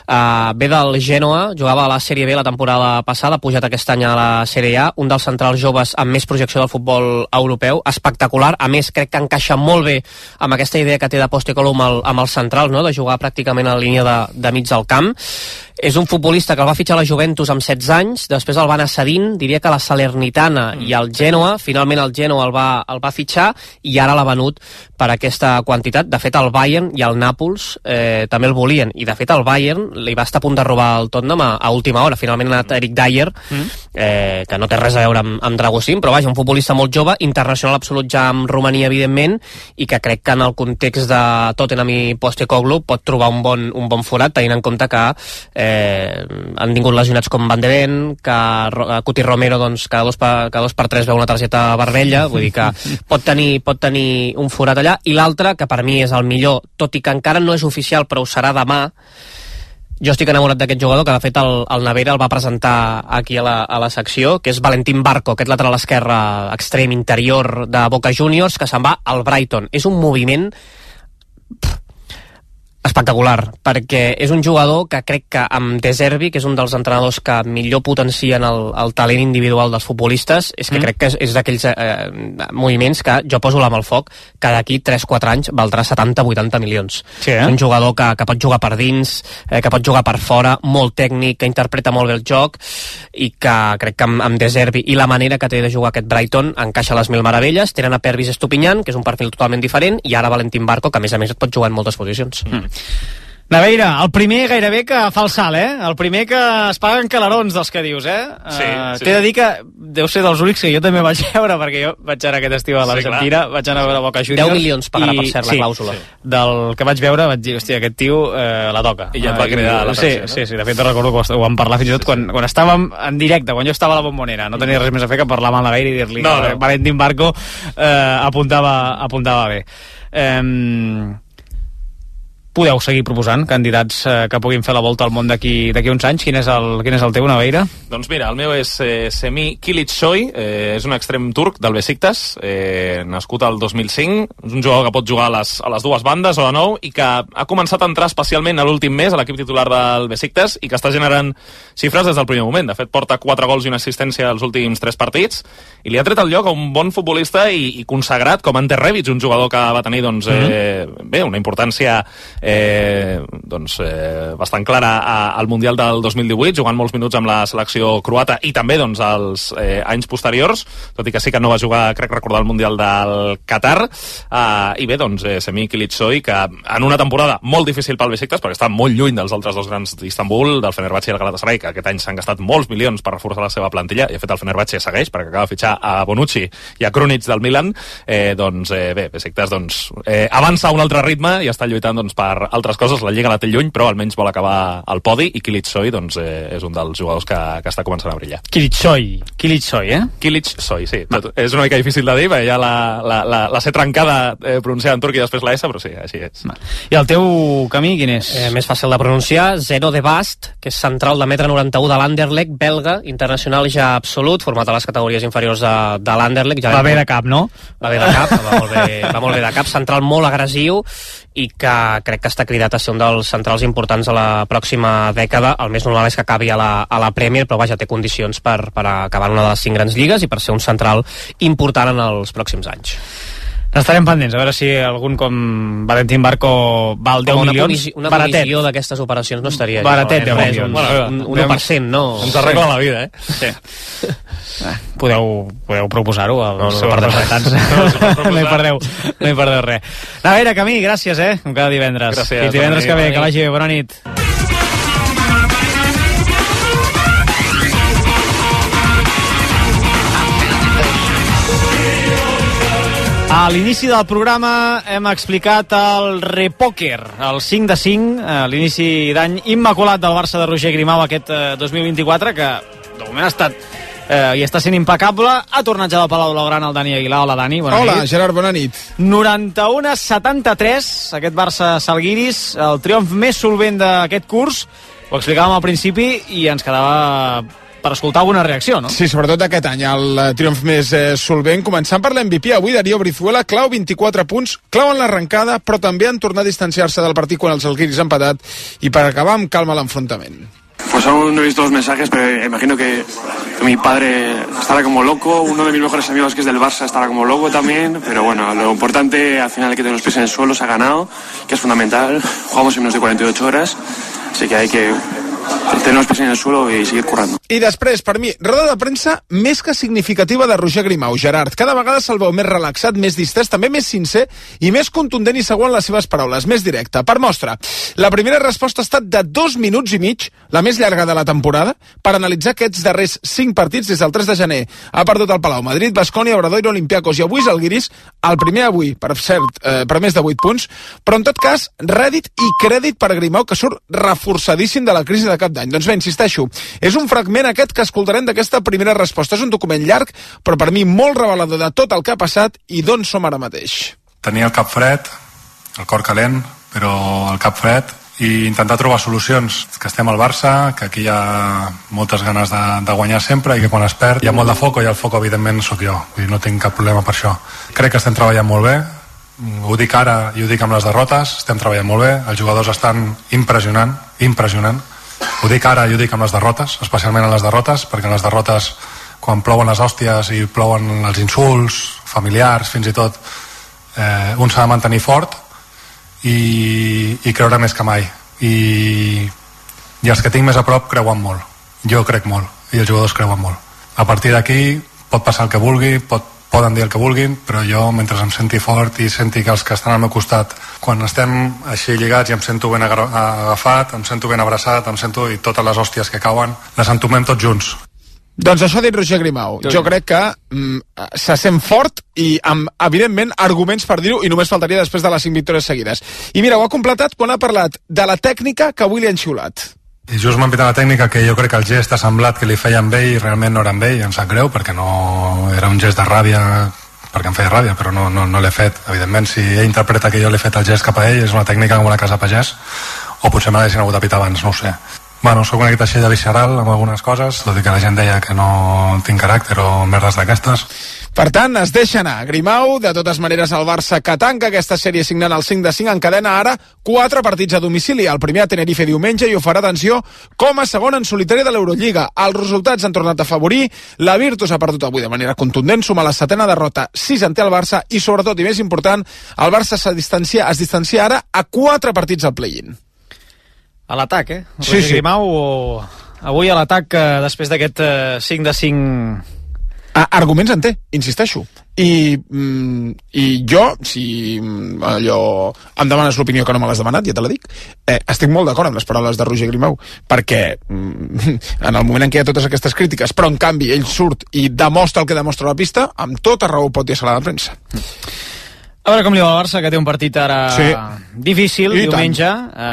Uh, ve del Genoa, jugava a la Sèrie B la temporada passada, ha pujat aquest any a la Sèrie A, un dels centrals joves amb més projecció del futbol europeu, espectacular. A més, crec que encaixa molt bé amb aquesta idea que té de Postecoglou amb el, amb el central, no? De jugar pràcticament a la línia de, de mig del camp. És un futbolista que el va fitxar a la Juventus amb setze anys, després el va anar cedint, diria que la Salernitana mm. i el Genoa, finalment el Genoa el va, el va fitxar i ara l'ha venut per aquesta quantitat. De fet, el Bayern i el Nàpols eh, també el volien, i de fet el Bayern li va estar a punt de robar el Tottenham a, a última hora. Finalment ha anat Eric Dyer, mm. eh, que no té res a veure amb, amb Dragosín, però vaja, un futbolista molt jove, internacional absolut ja amb Romania, evidentment, i que crec que en el context de Tottenham i Postecoglou pot trobar un bon, un bon forat, tenint en compte que eh, Eh, han vingut lesionats com Van de Ven, que Cuti Romero doncs, cada, dos per, cada dos per tres veu una targeta vermella, vull dir que pot tenir, pot tenir un forat allà. I l'altre, que per mi és el millor, tot i que encara no és oficial però ho serà demà, jo estic enamorat d'aquest jugador, que de fet el, el Navera el va presentar aquí a la, a la secció, que és Valentín Barco, aquest lateral esquerre extrem interior de Boca Juniors, que se'n va al Brighton. És un moviment pff, espectacular, perquè és un jugador que crec que amb De Zerbi, que és un dels entrenadors que millor potencien el, el talent individual dels futbolistes, és que mm. crec que és, és d'aquells eh, moviments que jo poso la mà al foc, que d'aquí tres quatre anys valdrà setanta vuitanta milions. Sí, eh? És un jugador que, que pot jugar per dins, eh, que pot jugar per fora, molt tècnic, que interpreta molt bé el joc, i que crec que amb, amb De Zerbi i la manera que té de jugar aquest Brighton encaixa les mil meravelles. Tenen a Pervis Estupinyan, que és un perfil totalment diferent, i ara Valentín Barco, que a més a més et pot jugar en moltes posicions. Mm. Naveira, el primer gairebé que fa el salt, eh? El primer que es paguen calarons dels que dius, eh? Sí, uh, sí. T'he de dir que deu ser dels únics que jo també vaig veure, perquè jo vaig anar aquest estiu a l'Argentina, sí, vaig anar a veure Boca Juniors. deu milions pagarà per cert la sí, clàusula. Sí. Del que vaig veure vaig dir, hòstia, aquest tio eh, la toca. I ja et va cridar uh, l'atenció, sí, no? sí, sí, de fet recordo que ho vam parlar fins i tot quan, quan estàvem en directe, quan jo estava a la Bombonera, no tenia res més a fer que parlar amb el Naveira i dir-li no, que no. Valentín Barco eh, apuntava, apuntava bé. Eh, podeu seguir proposant candidats eh, que puguin fer la volta al món d'aquí d'aquí uns anys. Quin és el, quin és el teu, Naveira? Doncs mira, el meu és eh, Semih Kılıçsoy, eh, és un extrem turc del Besiktas, eh, nascut al dos mil cinc, és un jugador que pot jugar a les, a les dues bandes o a nou, i que ha començat a entrar especialment a l'últim mes a l'equip titular del Besiktas i que està generant xifres des del primer moment. De fet, porta quatre gols i una assistència als últims tres partits i li ha tret el lloc a un bon futbolista i, i consagrat com Ante Rebic, un jugador que va tenir doncs, eh, bé, una importància Eh, doncs, eh, bastant clara a, al Mundial del dos mil divuit, jugant molts minuts amb la selecció croata i també doncs, als eh, anys posteriors, tot i que sí que no va jugar, crec recordar, el Mundial del Qatar. Eh, i bé, doncs, eh, Semih Kılıçsoy, que en una temporada molt difícil pel Besiktas, perquè està molt lluny dels altres dos grans d'Istanbul, del Fenerbahçe i el Galatasaray, que aquest any s'han gastat molts milions per reforçar la seva plantilla, i de fet el Fenerbahçe segueix, perquè acaba de fitxar a Bonucci i a Krunic del Milan. Eh, doncs, eh, bé, Besiktas doncs, eh, avança a un altre ritme i està lluitant doncs, per altres coses. La Lliga la té lluny, però almenys vol acabar al podi, i Kılıçsoy doncs, eh, és un dels jugadors que, que està començant a brillar. Kılıçsoy, Kılıçsoy, eh? Kılıçsoy, sí. Tot, és una mica difícil de dir, perquè ja la, la, la, la C trencada eh, pronunciada en turc i després la S, però sí, així és. I el teu Camí, quin és? Eh, més fàcil de pronunciar, Zeno de Bast, que és central de metre noranta-u de l'Anderlecht, belga, internacional ja absolut, format a les categories inferiors de, de l'Anderlecht. Ja va bé de cap, no? Va bé de cap, va molt bé, va molt bé de cap, central molt agressiu, i que crec que està cridat a ser un dels centrals importants a la pròxima dècada. El més normal és que acabi a la, a la Premier, però vaja, té condicions per, per acabar en una de les cinc grans lligues i per ser un central important en els pròxims anys. Estarem pendents, a veure si algun com Valentín Barco val deu una milions. Comissió, una comissió d'aquestes operacions no estaria... Baratet, deu res, milions. un, bueno, un, un u per cent, no? Ens arregla la vida, eh? Sí. Eh, podeu, podeu proposar-ho als no, no, seus no representants. No, no hi perdeu, no hi perdeu res. A veure, Camí, gràcies, eh? Com cada divendres. Gràcies. Fins divendres que ve, que vagi bé. Bona nit. A l'inici del programa hem explicat el repòquer, el cinc de cinc, a l'inici d'any immaculat del Barça de Roger Grimau aquest eh, dos mil vint-i-quatre, que de moment ha estat eh, i està sent impecable. Ha tornat ja del Palau Blaugrana el Dani Aguilar. Hola, Dani, bona Hola, nit. Gerard, bona nit. noranta-u a setanta-tres, aquest Barça Salguiris, el triomf més solvent d'aquest curs. Ho explicàvem al principi i ens quedava per escoltar alguna reacció, no? Sí, sobretot aquest any, el eh, triomf més eh, solvent, començant per l'M V P. Avui Darío Brizuela clau vint-i-quatre punts, clau en l'arrencada, però també en tornar a distanciar-se del partit quan els Salguiris han empatat i per acabar amb calma l'enfrontament. Pues aún no he visto los mensajes, pero imagino que, que mi padre estará como loco, uno de mis mejores amigos que es del Barça estará como loco también, pero bueno, lo importante al final hay que tener los pies en el suelo, se ha ganado, que es fundamental, jugamos en menos de cuarenta y ocho horas, así que hay que tener los pies en el suelo i seguir currando. I després, per mi, roda de premsa més que significativa de Roger Grimau. Gerard, cada vegada se'l veu més relaxat, més distès, també més sincer i més contundent i segur en les seves paraules, més directe. Per mostra, la primera resposta ha estat de dos minuts i mig, la més llarga de la temporada, per analitzar aquests darrers cinc partits des del tres de gener. Ha perdut el Palau, Madrid, Baskonia, Obradoiro, Olympiacos i avui Žalgiris, el primer avui, per cert, eh, per més de vuit punts, però en tot cas, rèdit i crèdit per Grimau, que surt reforçadíssim de la crisi de cap d'any. Doncs bé, insisteixo, és un fragment aquest que escoltarem d'aquesta primera resposta. És un document llarg, però per mi molt revelador de tot el que ha passat i d'on som ara mateix. Tenia el cap fred, el cor calent, però el cap fred, i intentar trobar solucions. Que estem al Barça, que aquí hi ha moltes ganes de, de guanyar sempre i que quan es perd hi ha molt de foc i el foc evidentment sóc jo. Vull dir, no tinc cap problema per això. Crec que estem treballant molt bé, ho dic ara i ho dic amb les derrotes, estem treballant molt bé, els jugadors estan impressionant, impressionant. Ho dic ara i ho dic amb les derrotes, especialment en les derrotes, perquè en les derrotes, quan plouen les hòsties i plouen els insults familiars, fins i tot, eh, un s'ha de mantenir fort i, i creure més que mai. I, I els que tinc més a prop creuen molt. Jo crec molt, i els jugadors creuen molt. A partir d'aquí pot passar el que vulgui, pot poden dir el que vulguin, però jo, mentre em senti fort i senti que els que estan al meu costat, quan estem així lligats i em sento ben agafat, em sento ben abraçat, em sento i totes les hòsties que cauen, les entomem tots junts. Doncs això ha dit Roger Grimau. Jo crec que mm, se sent fort i amb, evidentment, arguments per dir-ho, i només faltaria després de les cinc victòries seguides. I mira, ho ha completat quan ha parlat de la tècnica que avui li han xiulat. I just m'ha pitat la tècnica que jo crec que el gest ha semblat que li feia amb ell i realment no era amb ell, em sap greu perquè no era un gest de ràbia, perquè em feia ràbia, però no, no, no l'he fet. Evidentment, si ell interpreta que jo l'he fet el gest cap a ell, és una tècnica com una casa pagès, o potser me l'haguessin hagut de pitar abans, no ho sé. Bueno, soc una guita així de visceral amb algunes coses, tot i que la gent deia que no tinc caràcter o merdes d'aquestes. Per tant, es deixa anar. Grimau, de totes maneres, el Barça que tanca aquesta sèrie signant el cinc de cinc encadena ara quatre partits a domicili. El primer a Tenerife diumenge i ho farà, atenció, com a segon en solitari de l'Eurolliga. Els resultats han tornat a afavorir. La Virtus ha perdut avui de manera contundent, suma la setena derrota, sis en té el Barça i, sobretot, i més important, el Barça es distancia, es distancia ara a quatre partits al play-in. A l'atac, eh? Sí, sí. Grimau, o... avui a l'atac, eh, després d'aquest eh, cinc de cinc... Ah, arguments en té, insisteixo. I, mm, i jo, si allò em demanes l'opinió que no me l'has demanat, ja te la dic, eh, estic molt d'acord amb les paraules de Roger Grimau, perquè mm, en el moment en què hi ha totes aquestes crítiques, però en canvi ell surt i demostra el que demostra a la pista, amb tota raó pot dir a la premsa. A veure com li va al Barça, que té un partit ara sí. difícil, I diumenge, eh,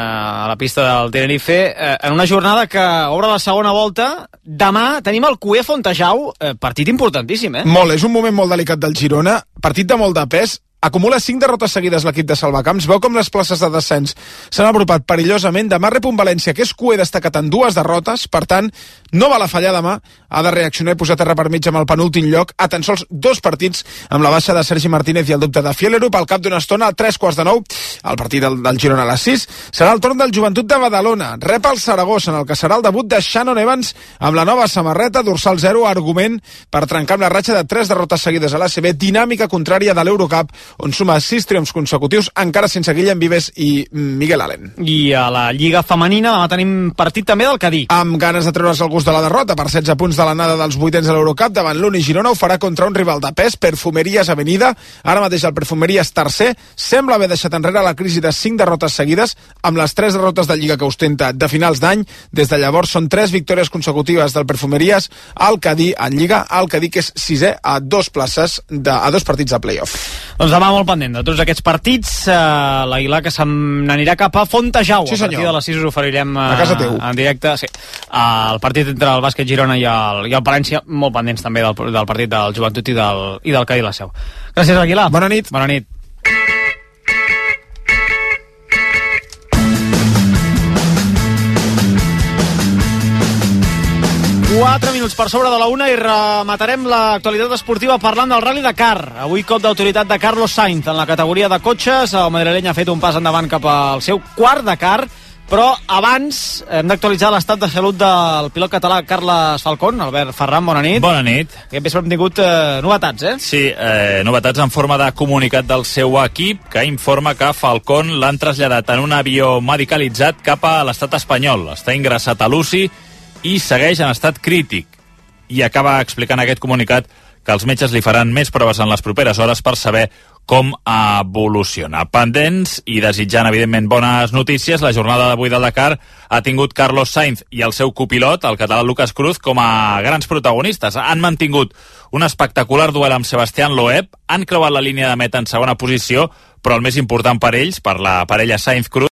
a la pista del Tenerife, eh, en una jornada que obre la segona volta. Demà tenim el Cué Fontejau, eh, partit importantíssim, eh? Molt, és un moment molt delicat del Girona, partit de molt de pes, acumula cinc derrotes seguides l'equip de Salvacamps, veu com les places de descens s'han apropat perillosament, demà rep un València que és Cué destacat en dues derrotes, per tant, no val a fallar demà, ha de reaccionar i posar terra per mig amb el penúltim lloc, a tan sols dos partits amb la baixa de Sergi Martínez i el dubte de Fielerup, al cap d'una estona, a tres quarts de nou, el partit del, del Girona a les sis, serà el torn del Joventut de Badalona, rep el Saragossa, en el que serà el debut de Shannon Evans amb la nova samarreta, dorsal zero, argument per trencar amb la ratxa de tres derrotes seguides a l'A C B, dinàmica contrària de l'Eurocup, on suma sis triomfs consecutius, encara sense Guillem Vives i Miguel Allen. I a la Lliga Femenina demà tenim partit també del Cadí. Amb ganes de treure's el gust de la derrota, per setze punts de l'anada dels vuitens de l'Eurocup, davant l'Uni Girona ho farà contra un rival de pes, Perfumeries Avenida. Ara mateix el Perfumeries tercer sembla haver deixat enrere la crisi de cinc derrotes seguides, amb les tres derrotes de Lliga que ostenta de finals d'any. Des de llavors són tres victòries consecutives del Perfumeries al Cadí en Lliga, al Cadí que és sisè a dos places de, a dos partits de playoff. Doncs demà molt pendent de tots aquests partits, eh, l'Aguilar que se n'anirà cap a Fontejau. Sí, a partir de les sis us oferirem eh, a casa teu. En directe, sí. El partit entre el Bàsquet Girona i el, i el Palència, molt pendents també del, del partit del Joventut i del, i del Cadí la Seu. Gràcies, Aguilar. Bona nit. Bona nit. quatre minuts per sobre de la una i rematarem l'actualitat esportiva parlant del Rally Dakar. Avui cop d'autoritat de Carlos Sainz en la categoria de cotxes. El madrileny ha fet un pas endavant cap al seu quart Dakar, però abans hem d'actualitzar l'estat de salut del pilot català Carles Falcón. Albert Ferran, bona nit. Bona nit. Aquest vespre hem tingut eh, novetats, eh? Sí, eh, novetats en forma de comunicat del seu equip que informa que Falcón l'han traslladat en un avió medicalitzat cap a l'estat espanyol. Està ingressat a l'U C I i segueix en estat crític. I acaba explicant aquest comunicat que els metges li faran més proves en les properes hores per saber com evoluciona. Pendents i desitjant, evidentment, bones notícies, la jornada d'avui del Dakar ha tingut Carlos Sainz i el seu copilot, el català Lucas Cruz, com a grans protagonistes. Han mantingut un espectacular duel amb Sebastián Loeb, han creuat la línia de meta en segona posició, però el més important per ells, per la parella Sainz-Cruz,